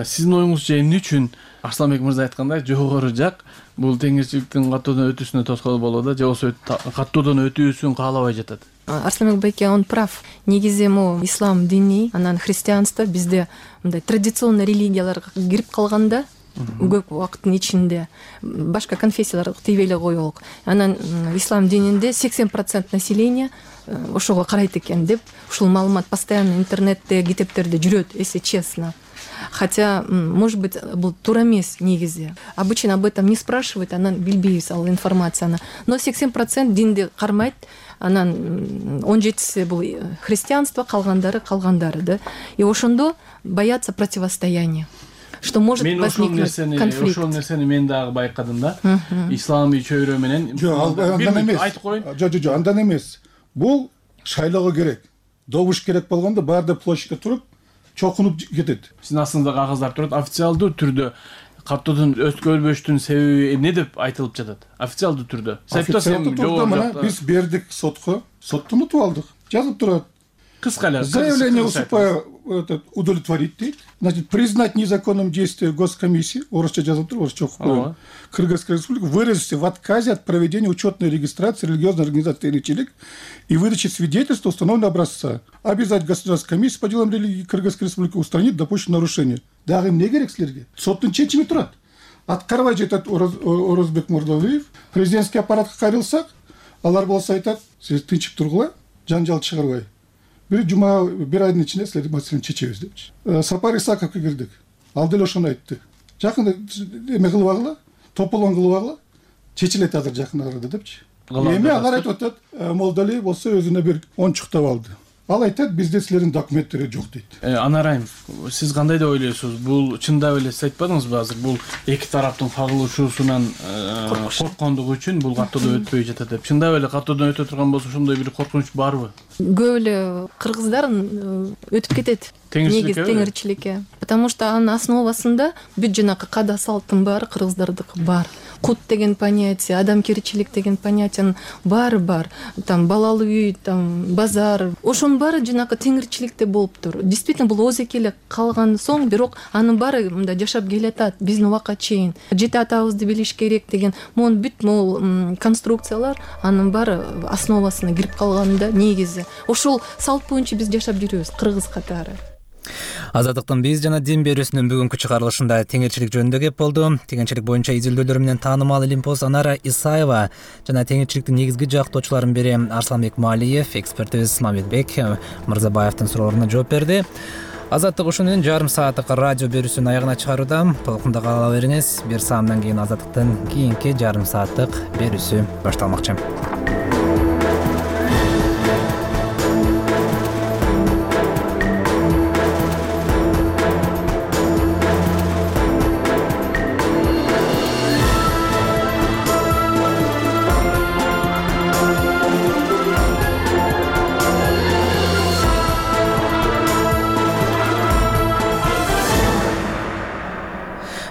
Сиздин оюңузча эмне үчүн Арсланбек мырза айткандай жогору жак бул теңирчиликтин каттоодон өтүүсүнө тоскоол болууда, же болбосо каттоодон өтүүсүн каалабай жатат? Арсланбек байке, он прав. Негизи ислам дини, анан христианство бизде мындай традиционный религияларга кирип калганда көп убакыттын ичинде башка конфессиялар тийбей эле коелук. Анан ислам дининде 80% населения ошого карайт экен деп ушул маалымат постоянно интернетте, китептерде жүрөт, если честно. Хотя, может быть, бул туура эмес негизи. Обычно об этом не спрашивают, анан билбейбиз ал информацияны. Но 80% динди кармайт, анан 17 бул христианство, калгандары, да. И ошондо боятся противостояния. Что может возникнуть конфликт. Ошол нерсени мен дагы байкадым да. Исламий чөйрө менен. Айтып коеюн. Жок, андан эмес. Бул шайлоого керек. Добуш керек болгондо баарды площадька туруп чокунуп кетет. Сиздин астыңызда кагаздар турат. Официалдуу түрдө каттоодон өткөрбөштүн себеби эмне деп айтылып жатат? Официалдуу түрдө. Официалдуу түрдө мына биз бердик сотко. Соттон утуп алдык. Жазып турат. Кыска эле. Заявление уступая удовлетворить дейт. Значит, признать незаконным действие госкомиссии, орусча жазып туруп, орусча окуп коюн. Кыргызская республика выразился в отказе от проведения учетной регистрации религиозной организации «Теңирчилик» и выдачи свидетельства установленного образца. Обязать государственную комиссию по делам религии Кыргызской республики устранить допущенные нарушения. Дагы эмне керек силерге? Соттун чечими турат. Аткарбай жатат Орозбек Мурдалиев. Президентский аппаратка кайрылсак, алар болсо айтат: "Сиз тынчып тургула, жанжал чыгарбай. Bir айдын ичинде силердин маселени чечебиз" депчи. Сапар Исаковго кирдик. Ал деле ошону айтты. Жакында эме кылып агыла, тополон кылып агыла, чечилет азыр жакын арада депчи. Эми алар айтып атат, Молдалиев болсо өзүнө бир ончуктап алды. Ал айтат, бизде силердин документтери жок дейт. Анарайым, сиз кандай деп ойлойсуз? Бул чындап эле сиз айтпадыңызбы азыр? Бул эки тараптын кагылышуусунан корккондугу үчүн бул каттоодон өтпөй жатат деп. Чындап эле каттоодон өтө турган болсо ошондой бир коркунуч барбы? Көп эле кыргыздар өтүп кетет. Теңирчиликке. Потому что анын основасында бүт жанакы када салттын баары кыргыздардыкы бар. Кут деген понятие, адамгерчилик деген понятиянын баары бар. Там балалуу үй, там базар. Ошонун баары жанакы теңирчиликте болуптур. Действительно бул озеки эле калган соң, бирок анын баары мындай жашап келатат биздин убакка чейин. Жети атабызды билиш керек деген могу бүт могу конструкциялар анын баары основасына кирип калганда негизи. Ошол салт боюнча биз жашап жүрөбүз кыргыз катары. Азаттыктын биз жана дин берүүсүнүн бүгүнкү чыгарылышында теңирчилик жөнүндө кеп болду. Теңирчилик боюнча изилдөөлөрү менен таанымал илимпоз Анара Исаева жана теңирчиликтин негизги жактоочуларынын бири Арсланбек Маалиев, экспертибиз Мамедбек Мырзабаевдин суроолоруна жооп берди. Азаттык ушунун жарым сааттык радио берүүсүнүн аягына чыгарууда. Толкунда кала бериңиз. Бир саамдан кийин Азаттыктын кийинки жарым сааттык берүүсү башталмакчы.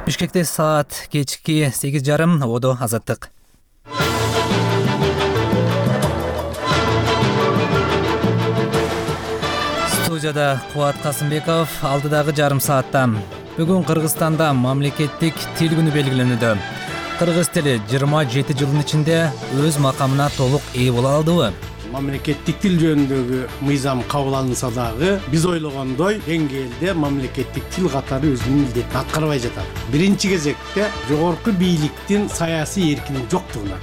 Бишкекте саат кечки 8:30 Одо Азаттык. Студияда Кубат Касымбеков. Алдыдагы жарым саатта бүгүн Кыргызстанда мамлекеттик тил күнү белгиленүүдө. Кыргыз тили 27 жылдын ичинде өз макамына толук ээ боло алдыбы? Мамлекеттик тил жөнүндөгү мыйзам кабыл алынса дагы биз ойлогондой деңгээлде мамлекеттик тил катары өзүнүн милдетин аткарбай жатат. Биринчи кезекте жогорку бийликтин саясий эркинин жоктугуна.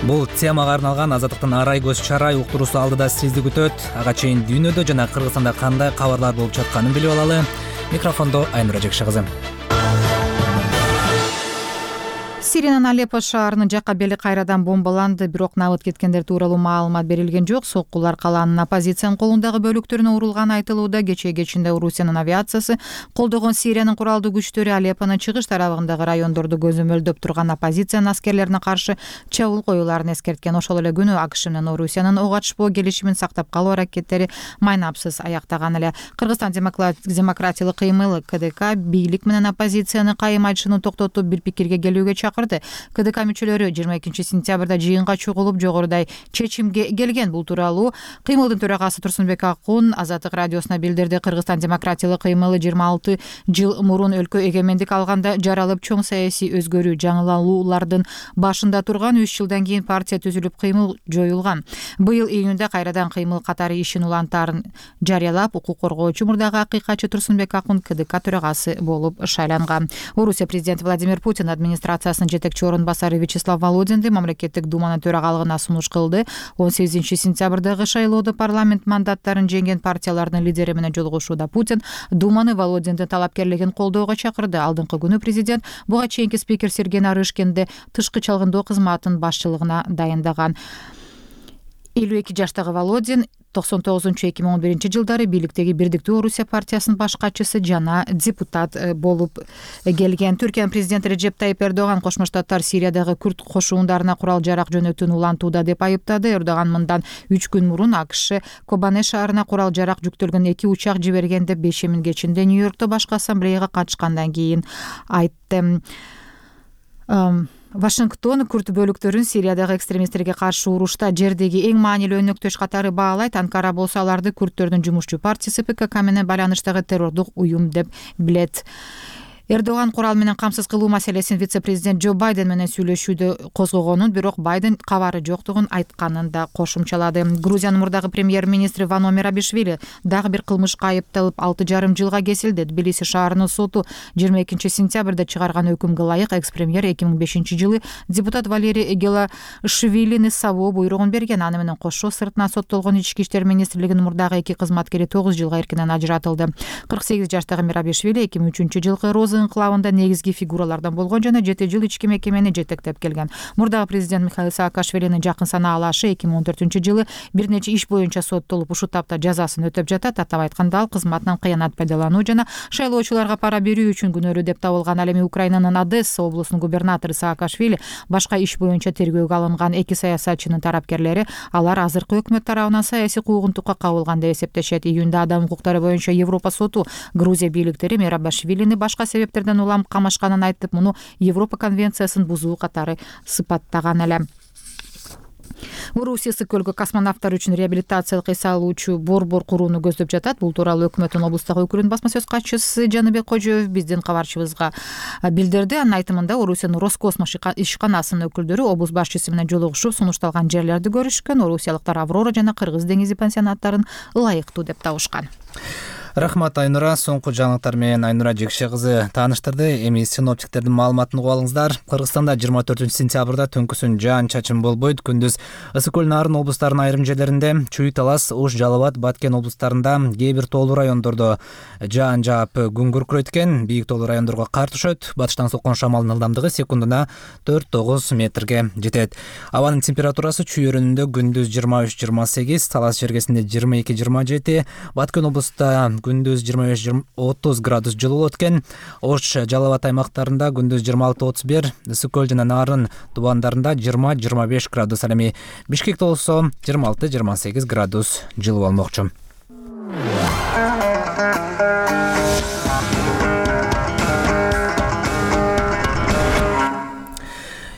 Бул темага арналган Азаттыктын арай көз чарай уктуруусу алдыда сизди күтөт. Ага чейин дүйнөдө жана Кыргызстанда кандай кабарлар болуп жатканын билип алалы. Микрофондо Айнура Жекши кызы. Сириянын Алеппо шаарынын жакка бели кайрадан бомбаланды, бирок набыт кеткендер тууралуу маалымат берилген жок. Соккулар калаанын оппозициянын колундагы бөлүктөрүнө урулганы айтылууда. Кечинде Орусиянын авиациясы колдогон Сириянын куралдуу күчтөрү Алеппонун чыгыш тарабындагы райондорду көзөмөлдөп турган оппозициянын аскерлерине каршы чабуул коюуларын эскерткен. Ошол эле күнү АКШ менен Орусиянын ок ачпоо келишимин сактап калуу аракеттери майнапсыз аяктаган эле. Кыргызстан демократиялык кыймылы КДК бийлик менен оппозицияны кайым айтышууну токтотуп бир пикирге келүүгө чакырды. КДК мүчөлөрү 22 сентябрда жыйынга чогулуп жогорудай чечимге келген. Бул тууралуу кыймылдын төрагасы Турсунбек Акун Азаттык радиосуна билдирди. Кыргызстан демократиялык кыймылы 26 жыл мурун өлкө эгемендик алганда жаралып чоң саясий өзгөрүү жаңылаулардын башында турган 3 жылдан кийин партия түзүлүп кыймыл жоюлган. Быйыл июнда кайрадан кыймыл катары ишин улантаарын жарыялап, укук коргоочу мурдагы акыйкатчы Турсунбек Акун КДК төрагасы болуп шайланган. Орусия президенти Владимир Путин администрациясынын жетекчи орун басары Вячеслав Володинди мамлекеттик думанын төрагалыгына сунуш кылды. 18 сентябрдагы шайлоодо парламент мандаттарын жеңген партиялардын лидери менен жолугушууда Путин думаны Володиндин талапкерлигин колдоого чакырды. Алдыңкы күнү президент буга чейинки спикер Сергей Нарышкинди тышкы чалгындоо кызматынын башчылыгына дайындаган. 52 жаштагы Володин 99-2011 жылдары бийликтеги Бирдиктүү Орусия партиясынын баш катчысы жана депутат болуп келген. Түркиянын президенти Реджеп Тайип Эрдоган Кошмо Штаттар Сириядагы күрд кошуундарына курал жарак жөнөтүүнү улантууда деп айыптады. Эрдоган мындан 3 күн мурун АКШ Кобане шаарына курал жарак жүктөлгөн 2 учак жиберген деп 5 кечинде Нью-Йоркто башкы ассамблеяга катышкандан кийин айтты. Вашингтон күрд бөлүктөрүн Сириядагы экстремисттерге каршы урушта жердеги эң маанилүү өнөктөш катары баалайт. Анкара болсо аларды күрдтөрдүн жумушчу партиясы ПКК менен байланыштагы террордук уюм деп билет. Эрдоган курал менен камсыз кылуу маселесин вице-президент Джо Байден менен сүйлөшүүдө козгогонун, бирок Байден кабары жоктугун айтканын да кошумчалады. Грузиянын мурдагы премьер-министри Вано Мерабишвили дагы бир кылмышка айыпталып 6,5 жылга кесилди. Тбилиси шаарынын соту 22 сентябрда чыгарган өкүмгө ылайык экс-премьер 2005 жылы депутат Валерий Гелашвилини сабоо буйругун берген. Аны менен кошо сыртынан соттолгон Ички иштер министрлигинин мурдагы 2 кызматкери 9 жылга эркинен ажыратылды. 48 жаштагы Мерабишвили 2003 жылкы Роза азы инкылабында негизги фигуралардан болгон жана 7 жыл ички мекемени жетектеп келген. Мурдагы президент Михаил Саакашвилинин жакын санаалашы 2014-жылы бир нече иш боюнча соттолуп ушул тапта жазасын өтөп жатат. Атап айтканда ал кызматынан кыянат пайдалануу жана шайлоочуларга пара берүү үчүн күнөөлүү деп табылган. Ал эми Украинанын Одесса облусунун губернатору Саакашвили башка иш боюнча тергөөгө алынган эки саясатчынын тарапкерлери алар азыркы өкмөт тарабынан саясий куугунтукка кабылган деп эсептешет. Июнда адам укуктары боюнча Европа соту Грузия бийликтери Мерабашвилини башка себептерден улам камашканын айтып, муну Европа конвенциясын бузуу катары сыпаттаган эле. Орусия Ысык-Көлгө космонавттар үчүн реабилитациялык эс алуучу борбор курууну көздөп жатат. Бул тууралуу өкмөттүн облустагы өкүлүнүн басма сөз катчысы Жаныбек Кожоев биздин кабарчыбызга билдирди. Анын айтымында Орусиянын Роскосмос ишканасынын өкүлдөрү облус башчысы менен жолугушуп, сунушталган жерлерди көрүшкөн. Орусиялыктар Аврора жана Кыргыз деңизи пансионаттарын ылайыктуу деп табышкан. Рахмат Айнура. Соңку жаңылыктар менен Айнура Жекше кызы тааныштырды. Эми синоптиктердин маалыматын угуп алыңыздар. Кыргызстанда 24-сентябрда түнкүсүн жаан-чачын болбойт. Күндүз Ысык-Көл, Нарын облустарынын айрым жерлеринде, Чүй, Талас, Ош, Жалал Абад, Баткен облустарында, кээ бир тоолуу райондордо жаан жаап күн күркүрөйт экен. Бийик тоолуу райондорго кар түшөт. Батыштан соккон шамалдын ылдамдыгы секундуна 4-9 метрге жетет. Абанын температурасы Чүй өрүнүндө күндүз 23-28, Талас жергесинде 22-27, Баткен облустта күндүз 25-30 градус жылуу болот экен. Ош, Жалал Абад аймактарында күндүз 26-31, Ысык-Көл жана Нарын тубандарында 20-25 градус. Ал эми Бишкекте болсо 26-28 градус жылуу болмокчу.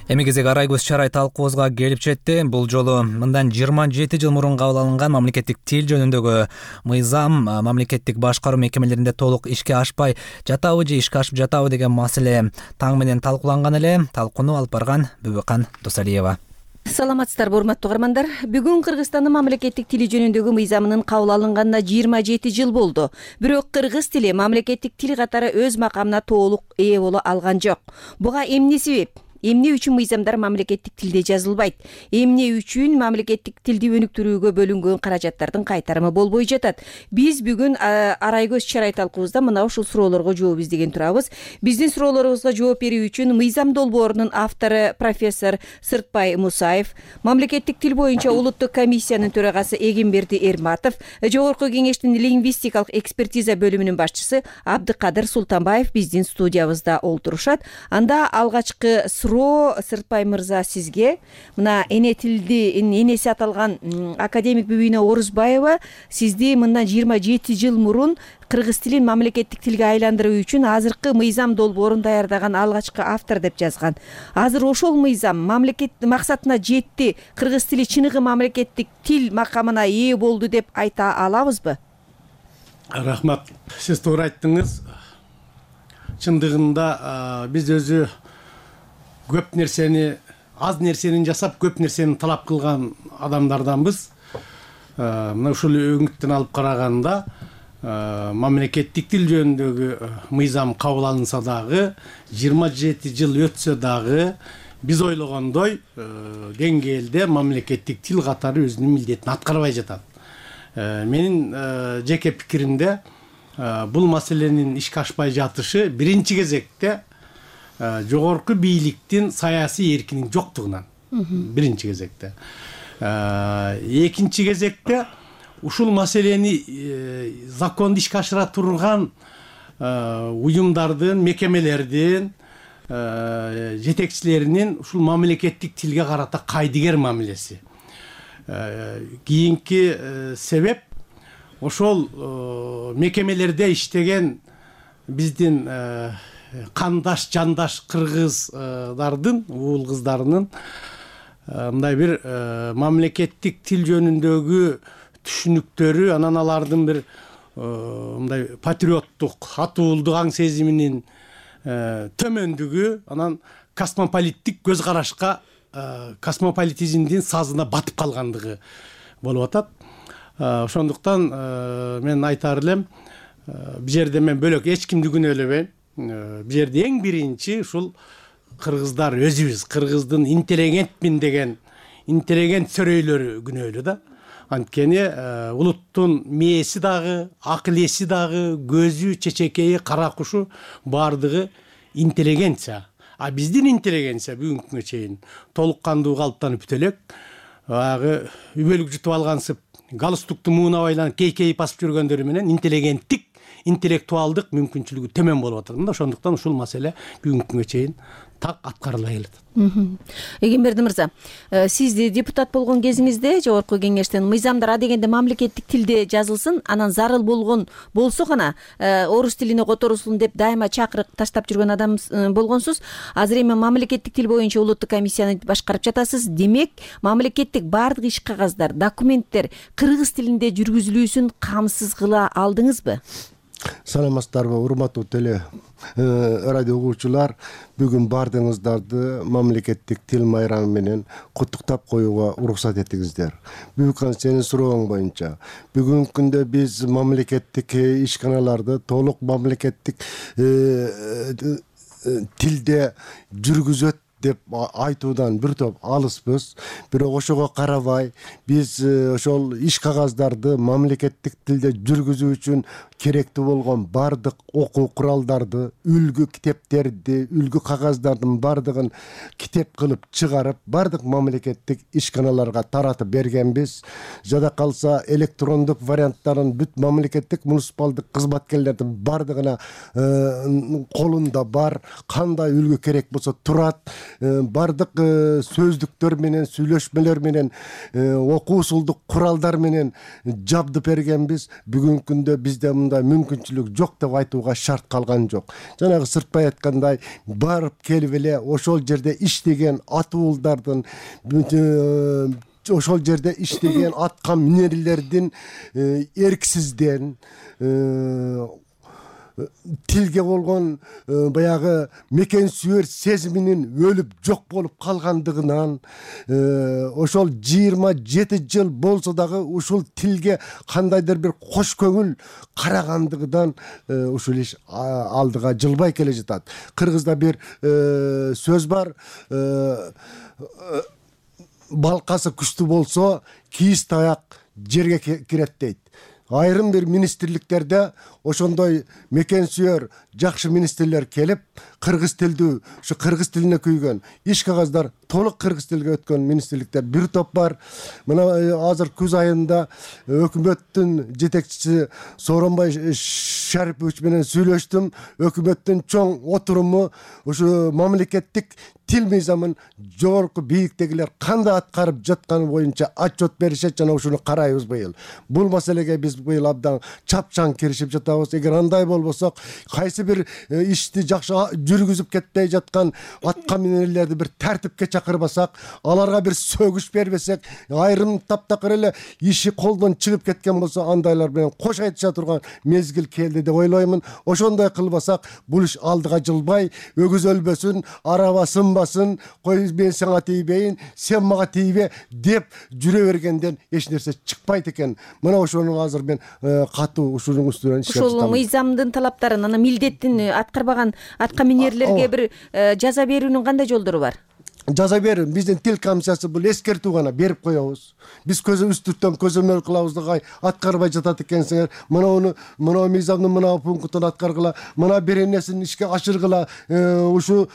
Эми кезек арай көз чарай талкуубузга келип жетти. Бул жолу мындан 27 жыл мурун кабыл алынган мамлекеттик тил жөнүндөгү мыйзам мамлекеттик башкаруу мекемелеринде толук ишке ашпай жатабы же ишке ашып жатабы деген маселе таң менен талкууланган эле. Талкууну алып барган Бүбөкан Досалиева. Саламатсыздарбы, урматтуу угармандар. Бүгүн Кыргызстандын мамлекеттик тили жөнүндөгү мыйзамынын кабыл алынганына 27 жыл болду. Бирок кыргыз тили мамлекеттик тил катары өз макамына толук ээ боло алган жок. Буга эмне себеп? Эмне үчүн мыйзамдар мамлекеттик тилде жазылбайт? Эмне үчүн мамлекеттик тилди өнүктүрүүгө бөлүнгөн каражаттардын кайтарымы болбой жатат? Биз бүгүн арай көз чарай талкуубузда мына ушул суроолорго жооп издеген турабыз. Биздин суроолорубузга жооп берүү үчүн мыйзам долбоорунун автору профессор Сыртбай Мусаев, мамлекеттик тил боюнча улуттук комиссиянын төрагасы Эгемберди Эрматов, Жогорку кеңештин лингвистикалык экспертиза бөлүмүнүн башчысы Абдыкадыр Султанбаев биздин студиябызда олтурушат. Анда алгачкы Сыртбай мырза, сизге мына эне тилди энеси аталган академик Бүбүйнө Орузбаева сизди мындан 27 жыл мурун кыргыз тилин мамлекеттик тилге айландыруу үчүн азыркы мыйзам долбоорун даярдаган алгачкы автор деп жазган. Азыр ошол мыйзам мамлекет максатына жетти, кыргыз тили чыныгы мамлекеттик тил макамына ээ болду деп айта алабызбы? Рахмат. Сиз туура айттыңыз. Чындыгында биз өзү көп нерсени, аз нерсени жасап, көп нерсени талап кылган адамдарданбыз. Мына ушул өңүттөн алып караганда мамлекеттик тил жөнүндөгү мыйзам кабыл алынса дагы, 27 жыл өтсө дагы биз ойлогондой деңгээлде мамлекеттик тил катары өзүнүн милдетин аткарбай жатат. Менин жеке пикиримде бул маселенин ишке ашпай жатышы биринчи кезекте жогорку бийликтин саясий эркинин жоктугунан. Биринчи кезекте. Экинчи кезекте ушул маселени законду ишке ашыра турган уюмдардын, мекемелердин жетекчилеринин ушул мамлекеттик тилге карата кайдыгер мамилеси. Кийинки себеп ошол мекемелерде иштеген биздин кандаш, жандаш кыргыздардын, уул кыздарынын мындай бир мамлекеттик тил жөнүндөгү түшүнүктөрү, анан алардын бир мындай патриоттук, атуулдук аң сезиминин төмөндүгү, анан космополиттик көз карашка, космополитизмдин сазына батып калгандыгы болуп атат. Ошондуктан мен айтар элем, бул жерде мен бөлөк эч кимди күнөөлөбөйм. Бул жерде эң биринчи ушул кыргыздар өзүбүз, кыргыздын интеллигентмин деген интеллигент сөрөйлөрү күнөөлүү да. Анткени улуттун мээси дагы, акыл эси дагы, көзү, чечекейи, кара кушу баардыгы интеллигенция. А биздин интеллигенция бүгүнкү күнгө чейин толук кандуу калыптанып бүтө элек. Баягы үбөлүк жутуп алгансып, галстукту муунап айланып кейкейип басып жүргөндөрү менен интеллигенттик, интеллектуалдык мүмкүнчүлүгү төмөн болуп атат. Мында ошондуктан ушул маселе бүгүнкү күнгө чейин так аткарылбай келатат. Эгемберди мырза, сиз депутат болгон кезиңизде жогорку кеңештен мыйзамдар а дегенде мамлекеттик тилде жазылсын, анан зарыл болгон болсо гана орус тилине которулсун деп дайыма чакырык таштап жүргөн адам болгонсуз. Азыр эми мамлекеттик тил боюнча улуттук комиссияны башкарып жатасыз. Демек, мамлекеттик баардык иш кагаздар, документтер кыргыз тилинде жүргүзүлүүсүн камсыз кыла алдыңызбы? Саламатсыздарбы, урматтуу теле радио угуучулар. Бүгүн баардыгыңыздарды мамлекеттик тил майрамы менен куттуктап коюуга уруксат этиңиздер. Бүгүнкү сенин сурооң боюнча бүгүнкү күндө биз мамлекеттик ишканаларды толук мамлекеттик тилде жүргүзөт деп айтуудан бир топ алыспыз. Бирок ошого карабай биз ошол иш кагаздарды мамлекеттик тилде жүргүзүү үчүн керектүү болгон баардык окуу куралдарды, үлгү китептерди, үлгү кагаздардын баардыгын китеп кылып чыгарып, баардык мамлекеттик ишканаларга таратып бергенбиз. Жада калса электрондук варианттарын бүт мамлекеттик муниципалдык кызматкерлердин баардыгына колунда бар. Кандай үлгү керек болсо турат. Баардык сөздүктөр менен, сүйлөшмөлөр менен, окуу усулдук куралдар менен жабдып бергенбиз. Бүгүнкү күндө бизде мындай мүмкүнчүлүк жок деп айтууга шарт калган жок. Жанагы сыртпай айткандай, барып келип эле ошол жерде иштеген атуулдардын, ошол жерде иштеген атка минерлердин эрксизден тилге болгон баягы мекен сүйөр сезиминин өлүп жок болуп калгандыгынан, ошол 27 жыл болсо дагы ушул тилге кандайдыр бир кош көңүл карагандыгынан ушул иш алдыга жылбай келе жатат. Кыргызда бир сөз бар, балкасы күчтүү болсо кийиз таяк жерге кирет дейт. Айрым бир министрликтерде ошондой мекен сүйөр жакшы министрлер келип, кыргыз тилдүү, ушу кыргыз тилине күйгөн иш кагаздар толук кыргыз тилге өткөн министрликтер бир топ бар. Мына азыр күз айында өкмөттүн жетекчиси Сооронбай Шарипович менен сүйлөштүм. Өкмөттүн чоң отуруму ушу мамлекеттик тил мыйзамын жогорку бийиктегилер кандай аткарып жатканы боюнча отчет беришет, жана ушуну карайбыз быйыл. Бул маселеге биз быйыл абдан чапчаң киришип жатабыз. Эгер андай болбосок, кайсы бир ишти жакшы жүргүзүп кетпей жаткан атка минерлерди бир тартипке чакырбасак, аларга бир сөгүш бербесек, айрым таптакыр эле иши колдон чыгып кеткен болсо, андайлар менен кош айтыша турган мезгил келди деп ойлоймун. Ошондой кылбасак, бул иш алдыга жылбай, өгүз өлбөсүн, араба сынбасын, кой мен сага тийбейин, сен мага тийбе деп жүрө бергенден эч нерсе чыкпайт экен. Мына ошону азыр мен катуу ушунун үстүнөн иштеп жатам. Ошол мыйзамдын талаптарын, анан милдеттин аткарбаган атка минерлерге бир жаза берүүнүн кандай жолдору бар? Жаза берин. Биздин тил комиссиясы бул эскертүү гана берип коебуз. Биз үстүртөн көзөмөл кылабыз да аткарбай жатат экенсиңер. Мына мыйзамдын мына пунктун аткаргыла, мына бир нерсени ишке ашыргыла, ушу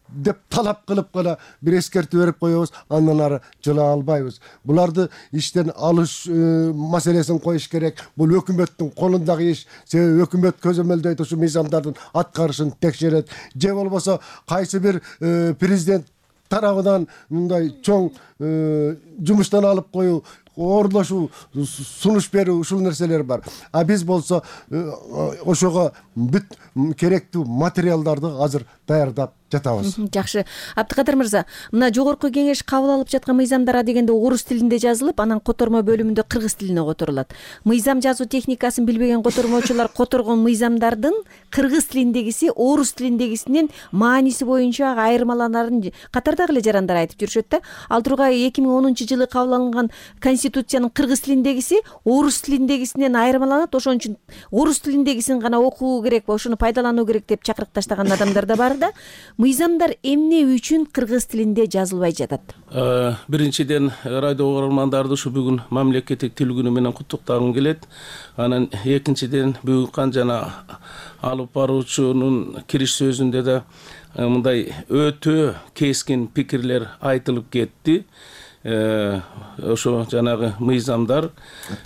деп талап кылып гана бир эскертүү берип коебуз, андан ары жыла албайбыз. Буларды иштен алыш маселесин коюш керек. Бул өкмөттүн колундагы иш. Себеби өкмөт көзөмөлдөйт, ушу мыйзамдардын аткарышын текшерет. Же болбосо кайсы бир президент тарабынан мындай чоң жумуштан алып коюу, ордошуу, сунуш берүү, ушул нерселер бар. А биз болсо ошого бүт керектүү материалдарды азыр даярдап жатабыз. Жакшы. Абдыкадыр мырза, мына жогорку кеңеш кабыл алып жаткан мыйзамдар дегенде орус тилинде жазылып, анан котормо бөлүмүндө кыргыз тилине которулат. Мыйзам жазуу техникасын билбеген котормочулар которгон мыйзамдардын кыргыз тилиндегиси орус тилиндегисинин мааниси боюнча айырмаланарын катардагы эле жарандар айтып жүрүшөт да. Ал тургай 2010 жылы кабыл алынган конституциянын кыргыз тилиндегиси орус тилиндегисинен айырмаланат, ошон үчүн орус тилиндегисин гана окуу керек, ошону пайдалануу керек деп чакырык таштаган адамдар да бар да. Мыйзамдар эмне үчүн кыргыз тилинде жазылбай жатат? Биринчиден радио угармандарды ушу бүгүн мамлекеттик тил күнү менен куттуктагым келет. Анан экинчиден бүгүн жана алып баруучунун кириш сөзүндө да мындай өтө кескин пикирлер айтылып кетти. Ошо жанагы мыйзамдар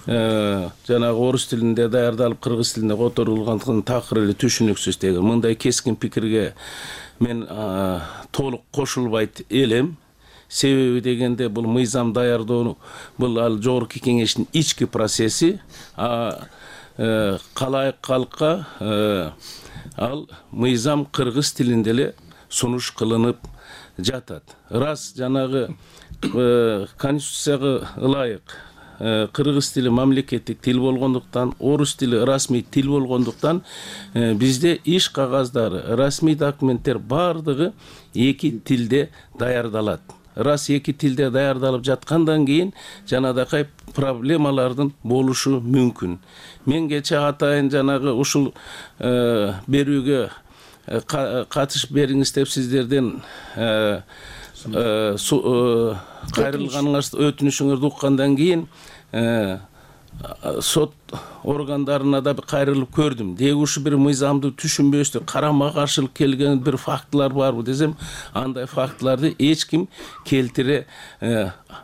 жанагы орус тилинде даярдалып кыргыз тилине которулгандыгын такыр эле түшүнүксүз деген мындай кескин пикирге мен толук кошулбайт элем. Себеби дегенде бул мыйзам даярдоо бул ал жогорку кеңештин ички процесси, калайык калкка ал мыйзам кыргыз тилинде эле сунуш кылынып жатат. Раз жанагы конституцияга ылайык кыргыз тили мамлекеттик тил болгондуктан, орус тили расмий тил болгондуктан бизде иш кагаздары, расмий документтер бардыгы эки тилде даярдалат. Раз эки тилде даярдалып жаткандан кийин жанагы проблемалардын болушу мүмкүн. Мен кече атайын жанагы ушул берүүгө катышып бериңиз деп сиздерден кайрылганыңыз өтүнүшүңөрдү уккандан кийин сот органдарына да кайрылып көрдүм. Деги ушу бир мыйзамды түшүнбөстү, карама каршылык келген бир фактылар барбы десем, андай фактыларды эч ким келтире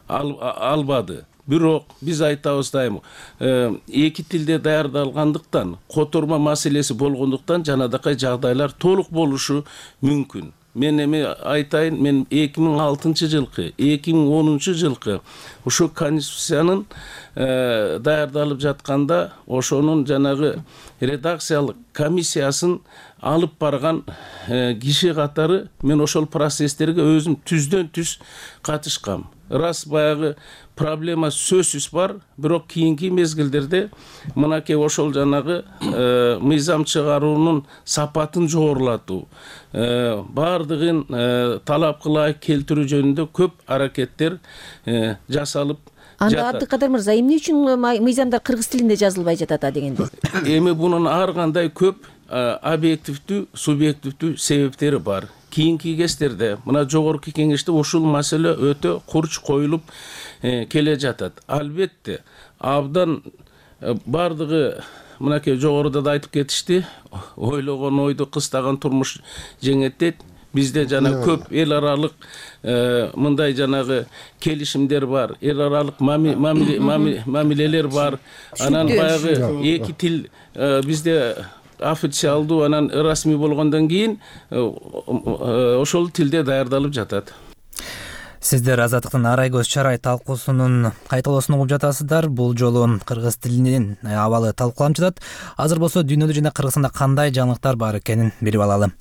албады. Бирок биз айтабыз дайым, эки тилде даярдалгандыктан, которма маселеси болгондуктан жанагы жагдайлар толук болушу мүмкүн. Мен эми айтайын, мен 2006-жылкы, 2010-жылкы ушу конституциянын даярдалып жатканда ошонун жанагы редакциялык комиссиясын алып барган киши катары мен ошол процесстерге өзүм түздөн түз катышкам. Раз баягы проблема сөзсүз бар, бирок кийинки мезгилдерде мынакей ошол жанагы мыйзам чыгаруунун сапатын жогорулатуу, бардыгын талап кылайык келтирүү жөнүндө көп аракеттер жасалып Анда Абдыкадыр мырза, эмне үчүн мыйзамдар кыргыз тилинде жазылбай жатат дегенде? Эми бунун ар кандай көп объективдүү, субъективдүү себептери бар. Кийинки кездерде мына жогорку кеңеште ушул маселе өтө курч коюлуп келе жатат. Албетте, абдан бардыгы мынакей жогоруда да айтып кетишти, ойлогон ойду кыстаган турмуш жеңет дейт. Бизде жана көп эл аралык мындай жанагы келишимдер бар, эл аралык мамилелер бар. Анан баягы эки тил бизде официалдуу, анан расмий болгондон кийин ошол тилде даярдалып жатат. Сиздер Азаттыктын арай көз чарай талкуусунун кайталоосун угуп жатасыздар. Бул жолу кыргыз тилинин абалы талкууланып жатат. Азыр болсо дүйнөдө жана Кыргызстанда кандай жаңылыктар бар экенин билип алалы.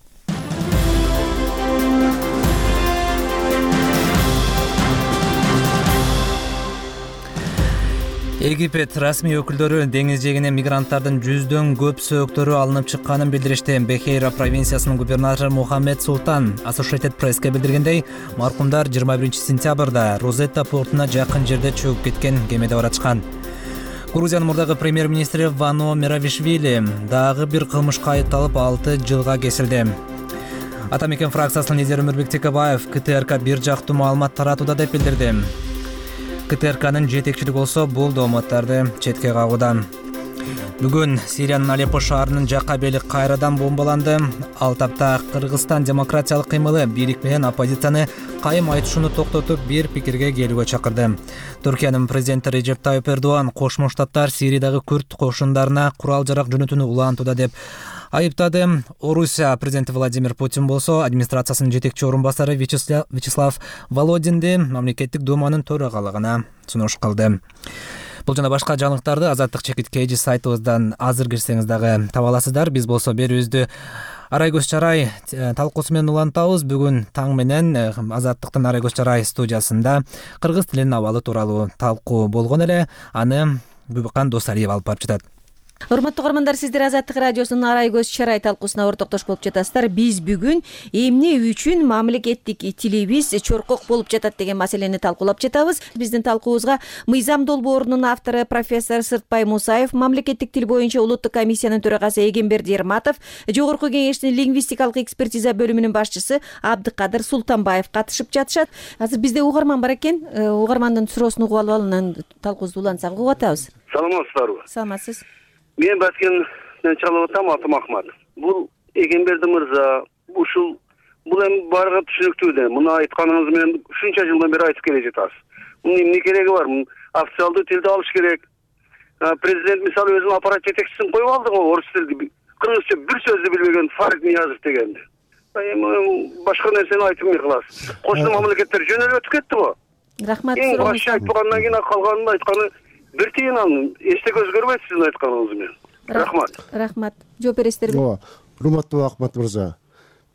Египет расмий өкүлдөрү деңиз жээгинен мигранттардын 100дөн көп сөөктөрү алынып чыкканын билдиришти. Бехейра провинциясынын губернатору Мухаммед Султан Associated Press'ке билдиргендей, маркумдар 21-сентябрда Розетта портуна жакын жерде чөгүп кеткен кемеде баратышкан. Грузиянын мурдагы премьер-министри Вано Меравишвили дагы бир кылмышка айыпталып 6 жылга кесилди. Ата мекен фракциясынын лидери Өмүрбек Текебаев КТРК бир жактуу маалымат таратууда деп билдирди. КТРКнын жетекчилиги болсо бул дооматтарды четке кагууда. Бүгүн Сириянын Алеппо шаарынын жакка бели кайрадан бомбаланды. Ал тапта Кыргызстан демократиялык кыймылы бийлик менен оппозицияны кайым айтышууну токтотуп бир пикирге келүүгө чакырды. Түркиянын президенти Режеп Тайып Эрдоган Кошмо Штаттар Сириядагы күрд кошундарына курал-жарак жөнөтүүнү улантууда деп айыптады. Орусия президенти Владимир Путин болсо администрациясынын жетекчи орун басары Вячеслав Володинди мамлекеттик думанын төрагалыгына сунуш кылды. Бул жана башка жаңылыктарды Азаттык чекиткейжи сайтыбыздан азыр кирсеңиз дагы таба аласыздар. Биз болсо берүүбүздү арай көз чарай талкуусу менен улантабыз. Бүгүн таң менен Азаттыктын арай көз чарай студиясында кыргыз тилинин абалы тууралуу талкуу болгон эле. Аны Бүбүкан Досалиев алып барып жатат. Урматтуу угармандар, сиздер Азаттык радиосунун Арай көз чарай талкуусуна ортоктош болуп жатасыздар. Биз бүгүн эмне үчүн мамлекеттик тилибиз чоркок болуп жатат деген маселени талкуулап жатабыз. Биздин талкуубузга Мыйзам долбоорунун автору профессор Сыртбай Мусаев, мамлекеттик тил боюнча улуттук комиссиянын төрагасы Эгемберди Эрматов, Жогорку кеңештин лингвистикалык экспертиза бөлүмүнүн башчысы Абдыкадыр Султанбаев катышып жатышат. Азыр бизде угарман бар экен. Угармандын суроосун угуп алып анан талкуубузду улантсак угуп атабыз. Саламатсыздарбы? Саламатсыз. Мен Баскенден чалып атам, атым Ахмат. Бул Эгемберди мырза, бул эми баарга түшүнүктүү да. Муну айтканыңыз менен ушунча жылдан бери айтып келе жатасыз. Мунун эмне кереги бар? Официалдуу тилди алыш керек. Президент мисалы өзүнүн аппарат жетекчисин коюп алды го, орус тилди, кыргызча бир сөздү билбеген Фарид Ниязов дегенди. Эми башка нерсени айтылмай каласыз. Кошуна мамлекеттер жөнөлүп өтүп кетти го. Рахмат. Эң башка айтпагандан кийин калганын айтканы бир тиын анын эчтеке өзгөрбөйт сиздин айтканыңыз менен. Рахмат. Жооп бересиздерби? Урматтуу Ахмат мырза,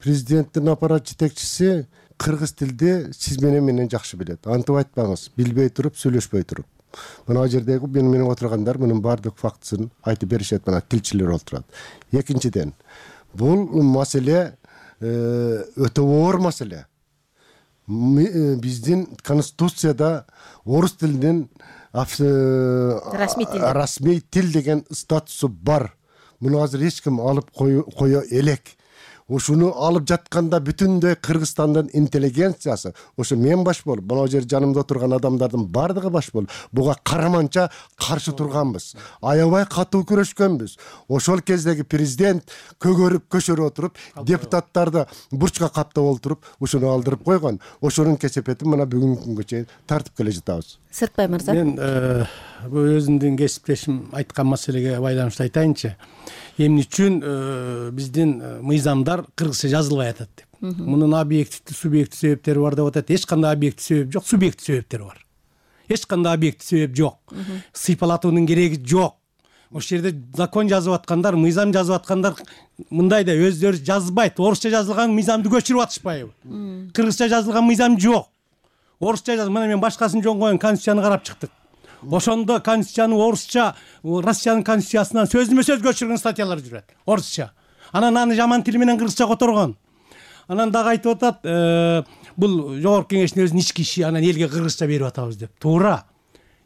президенттин аппарат жетекчиси кыргыз тилди сиз менен жакшы билет. Антип айтпаңыз, билбей туруп, сүйлөшпөй туруп. Мына жердеги менен отургандар мунун баардык фактысын айтып беришет, мына тилчилер отурат. Экинчиден, бул маселе өтө оор маселе. Биздин конституцияда орус тилинин расмий тил деген статусу бар. Муну азыр эч ким алып кое элек. Ушуну алып жатканда бүтүндөй Кыргызстандын интеллигенциясы, ошо мен баш болуп, мына жер жанымда отурган адамдардын бардыгы баш болуп, буга караманча каршы турганбыз. Аябай катуу күрөшкөнбүз. Ошол кездеги президент көгөрүп, көшөрүп отуруп, депутаттарды бурчка каптап олтуруп, ушуну алдырып койгон. Ошонун кесепетин мына бүгүнкү күнгө чейин тартып келе жатабыз. Сыртбай мырза. Мен бул өзүмдүн кесиптешим айткан маселеге байланыштуу айтайынчы. Эмне үчүн биздин мыйзамдар кыргызча жазылбай атат деп. Мунун объективдүү, субъективдүү себептери бар деп атат. Эч кандай объективдүү себеп жок, субъективдүү себептер бар. Эч кандай объективдүү себеп жок. Сыйпалатуунун кереги жок. Ошол жерде закон жазып аткандар, мыйзам жазып аткандар мындай да өздөрү жазбайт. Орусча жазылган мыйзамды көчүрүп атышпайбы? Кыргызча жазылган мыйзам жок. Орусча мына мен башкасын жөн коюн, конституцияны карап чыктык. Ошондо конституцияны орусча, Россиянын конституциясынан сөзмө сөз көчүргөн статьялар жүрөт. Орусча. Анан аны жаман тил менен кыргызча которгон. Анан дагы айтып атат, бул жогорку кеңештин өзүнүн ички иши, анан элге кыргызча берип атабыз деп. Туура.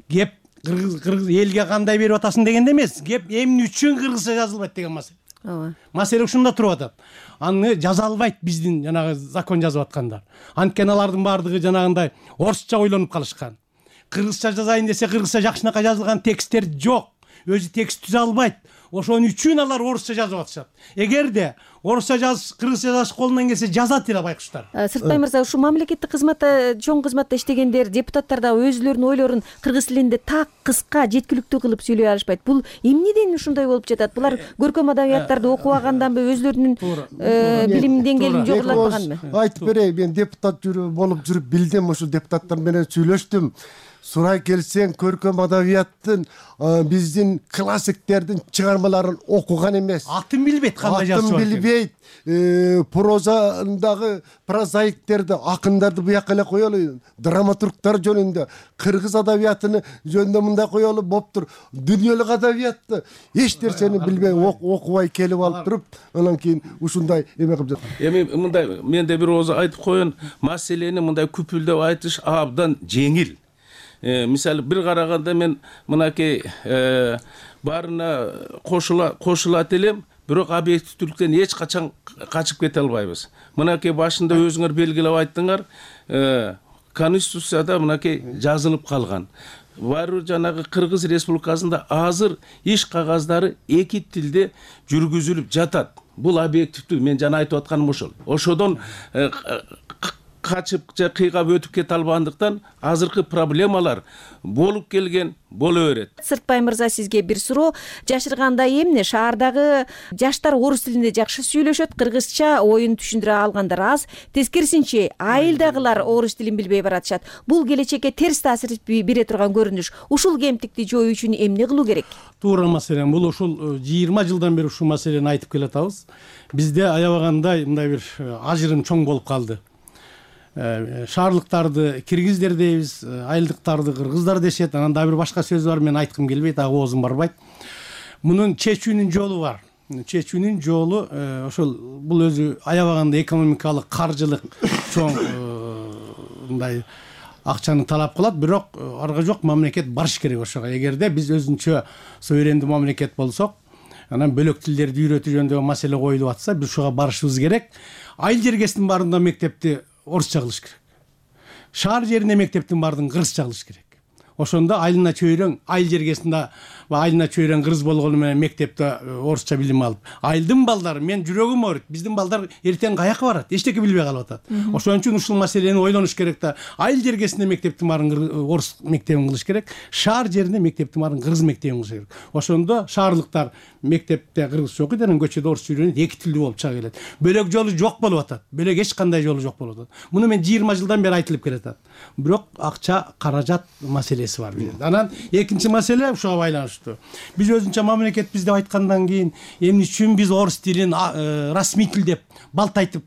Кеп кыргыз элге кандай берип атасың дегенде эмес, кеп эмне үчүн кыргызча жазылбайт деген маселе. Ооба. Маселе ушунда туруп атат. Аны жаза албайт биздин жанагы закон жазып аткандар. Анткени алардын баардыгы жанагындай орусча ойлонуп калышкан. Кыргызча жазайын десе кыргызча жакшынакай жазылган тексттер жок. Өзү текст түзө албайт. Ошон үчүн алар орусча жазып атышат. Эгерде орусча кыргызча жазыш колунан келсе жазат эле байкуштар. Сыртбай мырза, ушу мамлекеттик кызматта, чоң кызматта иштегендер, депутаттар да өзүлөрүнүн ойлорун кыргыз тилинде так кыска, жеткиликтүү кылып сүйлөй алышпайт. Бул эмнеден ушундай болуп жатат? Булар көркөм адабияттарды окубаганданбы, өзүлөрүнүн билим деңгээлин жогорулатпаганбы? Айтып берейин, мен депутат болуп жүрүп билдим, ошол депутаттар менен сүйлөштүм. Сурай келсең, көркөм адабияттын биздин классиктердин чыгармаларын окуган эмес. Атын билбейт, кандай жазып Атын билбейт. Прозадагы прозаиктерди, акындарды буяка эле коелу, драматургтар жөнүндө, кыргыз адабиятыны жөнүндө мындай коелу болуптур. Дүйнөлүк адабиятты эч нерсени билбей окубай келип алып туруп, анан кийин ушундай эме кылып жатат. Эми мындай менде бир ооз айтып коеюн, маселени мындай күпүлдөп айтыш абдан жеңил. Мисалы бир караганда мен мынакей баарына кошулат элем, бирок объективдүүлүктөн эч качан качып кете албайбыз. Мынакей башында өзүңөр белгилеп айттыңар, конституцияда мынакей жазылып калган. Баары жанагы Кыргыз Республикасында азыр иш кагаздары эки тилде жүргүзүлүп жатат. Бул объективдүү, мен жана айтып атканым ошол. Ошодон качып же кыйгап өтүп кете албагандыктан азыркы проблемалар болуп келген боло берет. Сыртбай мырза, сизге бир суроо. Жашыргандай эмне? Шаардагы жаштар орус тилинде жакшы сүйлөшөт, кыргызча оюн түшүндүрө алгандар аз. Тескерисинче, айылдагылар орус тилин билбей баратышат. Бул келечекке терс таасир бере турган көрүнүш. Ушул кемтикти жоюу үчүн эмне кылуу керек? Туура маселен, бул ушул 20 жылдан бери ушул маселени айтып келатабыз. Бизде аябагандай мындай бир ажырым чоң болуп калды. Шаарлыктарды киргиздер дейбиз, айылдыктарды кыргыздар дешет. Анан да бир башка сөз бар, мен айткым келбейт, оозум барбайт. мунун чечүүнүн жолу бар. Чечүүнүн жолу ошол бул өзү аябаганда экономикалык, каржылык чоң мындай акчаны талап кылат, бирок арга жок мамлекет барыш керек ошого. Эгерде биз өзүнчө суверендүү мамлекет болсок, анан бөлөк тилдерди үйрөтүү жөнүндөгү маселе коюлуп атса, биз ушуга барышыбыз керек. Айыл жергесинин баарында мектепти орусча кылыш керек. Шаар жеринде мектептин баардыгын кыргызча кылыш керек. Ошондо айылына чөйрөң, айыл жергесинде айылына чөйрөң кыргыз болгону менен мектепте орусча билим алып, айылдын балдары, мен жүрөгүм ооруйт, биздин балдар эртең каяка барат, эчтеке билбей калып атат. Ошон үчүн ушул маселени ойлонуш керек да. Айыл жергесинде мектептин баарын орус мектебин кылыш керек, шаар жеринде мектептин баарын кыргыз мектебин кылыш керек. Ошондо шаарлыктар мектепте кыргызча окуйт, анан көчөдө орусча үйрөнүп, эки тилдүү болуп чыга келет. Бөлөк жолу жок болуп атат. Бөлөк эч кандай жолу жок болуп атат. Муну мен 20 жылдан бери айтылып келатат. Бирок акча, каражат маселеси бар. Анан экинчи маселе ушуга байланыштуу. Биз өзүнчө мамлекетпиз деп айткандан кийин эмне үчүн биз орус тилин расмий тил деп балтайтып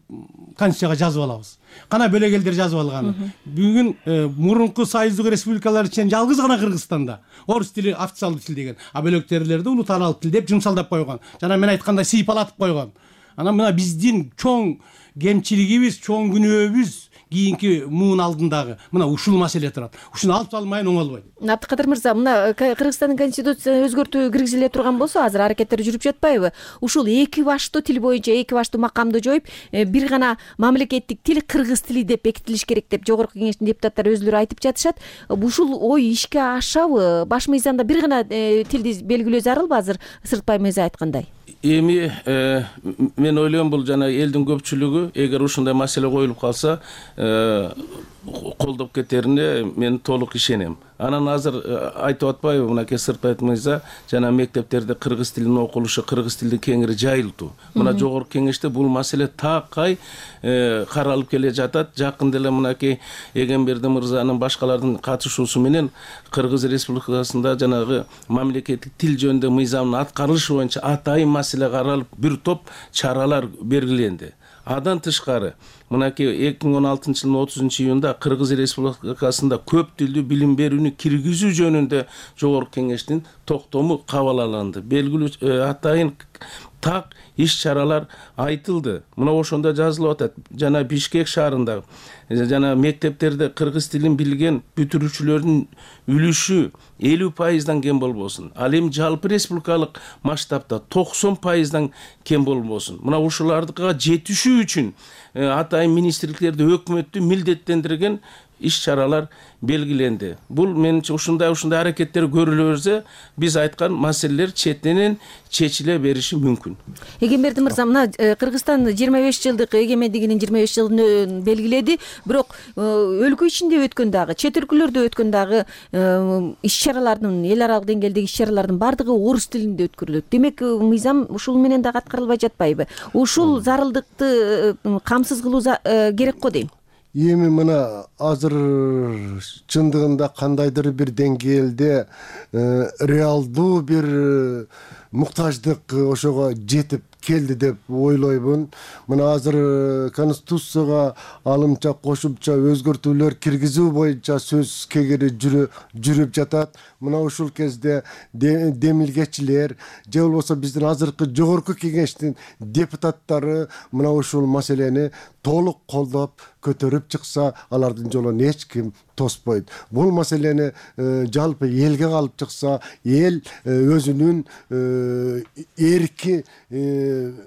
конституцияга жазып алабыз? Кана бөлөк элдер жазып алган. Бүгүн мурунку союздук республикалар ичинен жалгыз гана Кыргызстанда орус тили официалдуу тил деген, а бөлөк жерлерде улутаалык тил деп жумсалдап койгон. Жана мен айткандай сыйпалатып койгон. Анан мына биздин чоң кемчилигибиз, чоң күнөөбүз кийинки муун алдындагы мына ушул маселе турат. Ушуну алып салмайын оңолбойт. Абдыкадыр мырза, мына Кыргызстандын конституциясын өзгөртүү киргизиле турган болсо, азыр аракеттер жүрүп жатпайбы? Ушул эки баштуу тил боюнча эки баштуу макамды жоюп, бир гана мамлекеттик тил кыргыз тили деп бекитилиш керек деп Жогорку Кеңештин депутаттары өзүлөрү айтып жатышат. Ушул ой ишке ашабы? Баш мыйзамда бир гана тилди белгилөө зарылбы азыр Сыртбай мырза айткандай? Эми мен ойлойм, бул жана элдин көпчүлүгү эгер ушундай маселе коюлуп калса колдоп кетерине мен толук ишенем. Анан азыр айтып атпайбы мынакей Сыртбай мырза, жана мектептерде кыргыз тилинин окулушу, кыргыз тилди кеңири жайылтуу. Мына Жогорку Кеңеште бул маселе такай каралып келе жатат. Жакында эле мынакей Эгемберди мырзанын башкалардын катышуусу менен Кыргыз Республикасында жанагы мамлекеттик тил жөнүндө мыйзамдын аткарылышы боюнча атайын маселе каралып, бир топ чаралар белгиленди. Адан тышкары мынакей 2016 жылдын 30 июнда Кыргыз Республикасында көп тилдүү билим берүүнү киргизүү жөнүндө Жогорку Кеңештин токтому кабыл алынды. Белгилүү атайын так иш-чаралар айтылды. Мына ошондо жазылып атат. Жана Бишкек шаарында жана мектептерде кыргыз тилин билген бүтүрүүчүлөрдүн үлүшү 50% кем болбосун. Ал эми жалпы республикалык масштабта 90% кем болбосун. Мына ушуларга жетишүү үчүн атайын министрликтерди өкмөттү милдеттендирген иш-чаралар белгиленди. Бул менимче ушундай аракеттер көрүлө берсе, биз айткан маселелер четинен чечиле бериши мүмкүн. Эгемберди мырза, мына Кыргызстан 25 жылдык эгемендигинин 25 жылын белгиледи, бирок өлкө ичинде өткөн дагы, чет өлкөлөрдө өткөн дагы иш-чаралардын, эл аралык деңгээлдеги иш-чаралардын бардыгы орус тилинде өткөрүлөт. Демек, мыйзам ушул менен дагы аткарылбай жатпайбы? Ушул зарылдыкты камсыз кылуу керек го дейм. Эми мына азыр чындыгында кандайдыр бир деңгээлде реалдуу бир муктаждык ошого жетип келди деп ойлоймун. Мына азыр конституцияга алымча кошумча өзгөртүүлөр киргизүү боюнча сөз кегери жүрүп жатат. Мына ушул кезде демилгечилер же болбосо биздин азыркы Жогорку Кеңештин депутаттары мына ушул маселени толук колдоп көтөрүп чыкса, алардын жолун эч ким тоспойт. Бул маселени жалпы элге калып чыкса, эл өзүнүн эрки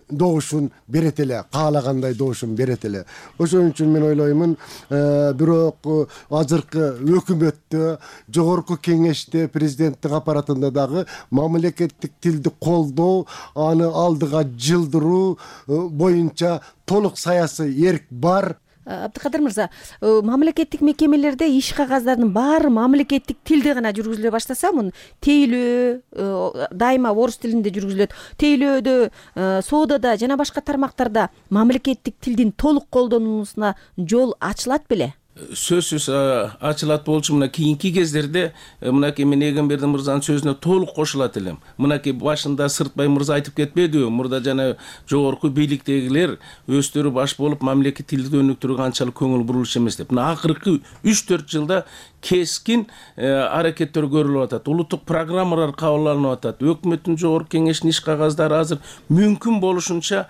добушун берет эле, каалагандай добушун берет эле. Ошон үчүн мен ойлоймун, бирок азыркы өкмөттө, Жогорку Кеңеште, президенттик аппаратында дагы мамлекеттик тилди колдоо, аны алдыга жылдыруу боюнча толук саясий эрк бар. Абдыкадыр мырза, мамлекеттик мекемелерде иш кагаздардын баары мамлекеттик тилде гана жүргүзүлө баштаса, муну тейлөө дайыма орус тилинде жүргүзүлөт. Тейлөөдө, соодада жана башка тармактарда мамлекеттик тилдин толук колдонулусуна жол ачылат беле? сөзсүз ачылат болчу. Мына кийинки кездерде мынакей мен Эгемберди мырзанын сөзүнө толук кошулат элем. Мынакей башында Сыртбай мырза айтып кетпедиби? Мурда жана жогорку бийликтегилер өздөрү баш болуп мамлекет тилди өнүктүрүүгө анчалык көңүл бурулушу эмес деп. Мына акыркы 3-4 жылда кескин аракеттер көрүлүп атат. Улуттук программалар кабыл атат. Өкмөттүн жогорку кеңешинин иш кагаздары азыр мүмкүн болушунча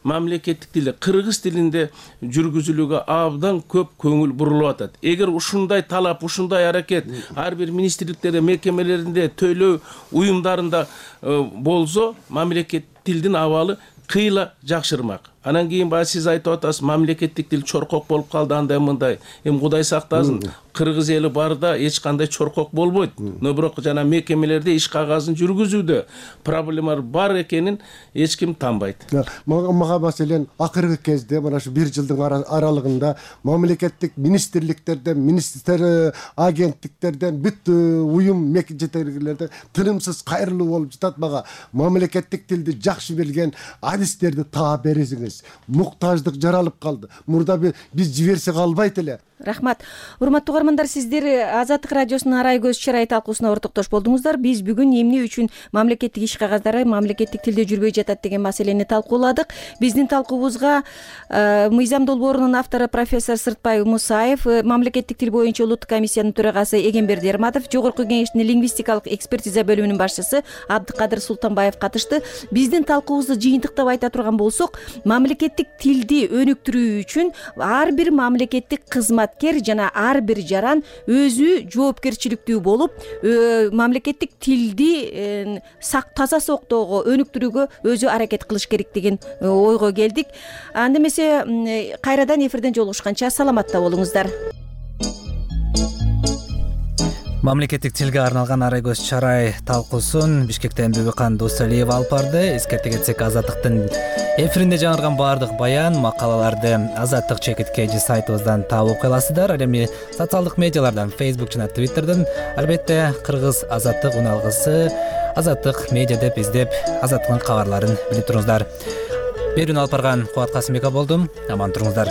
мамлекеттик тилде, кыргыз тилинде жүргүзүлүүгө абдан көп көңүл бурулуп атат. Эгер ушундай талап, ушундай аракет ар бир министрликтерде, мекемелеринде, төлөө уюмдарында болсо, мамлекет тилдин абалы кыйла жакшырмак. Анан кийин баягы сиз айтып атасыз, мамлекеттик тил чоркок болуп калды, андай мындай. Эми Кудай сактасын, кыргыз эли барда эч кандай чоркок болбойт. Но бирок жана мекемелерде иш кагазын жүргүзүүдө проблемалар бар экенин эч ким танбайт. Мага маселен акыркы кезде мына ушу 1 жылдын аралыгында мамлекеттик министрликтерден, министр агенттиктерден, бүт уюм жетекчилерден тынымсыз кайрылуу болуп жатат. Мага мамлекеттик тилди жакшы билген адистерди таап бересиңиз. Муктаждык жаралып калды. Мурда биз жиберсек албайт эле. Рахмат. Урматтуу угармандар, сиздер Азаттык радиосунун арай көз чырай талкуусуна ортоктош болдуңуздар. Биз бүгүн эмне үчүн мамлекеттик иш кагаздары мамлекеттик тилде жүрбөй жатат деген маселени талкууладык. Биздин талкуубузга мыйзам долбоорунун автору профессор Сыртбай Мусаев, мамлекеттик тил боюнча улуттук комиссиянын төрагасы Эгемберди Эрматов, жогорку кеңештин лингвистикалык экспертиза бөлүмүнүн башчысы Абдыкадыр Султанбаев катышты. Биздин талкуубузду жыйынтыктап айта турган болсок, мамлекеттик тилди өнүктүрүү үчүн ар бир мамлекеттик кызматкер жана ар бир жаран өзү жоопкерчиликтүү болуп, мамлекеттик тилди таза соктоого, өнүктүрүүгө өзү аракет кылыш керек деген ойго келдик. Анда эмесе кайрадан эфирден жолугушканча саламатта болуңуздар. Мамлекеттик тилге арналган арай көз чарай талкуусун Бишкектен Бибикан Дусалиева алып барды. Эскерте кетсек, Азаттыктын эфиринде жаңырган баардык баян, макалаларды Азаттык чекиткеji сайтыбыздан таап окуй аласыздар. Ал эми социалдык медиалардан, Facebook жана Twitterден, албетте Кыргыз Азаттык уналгысы, Азаттык медиа деп издеп, Азаттыктын кабарларын билип туруңуздар. Берүүнү алып барган Кубат Касымбеков болдум. Аман туруңуздар.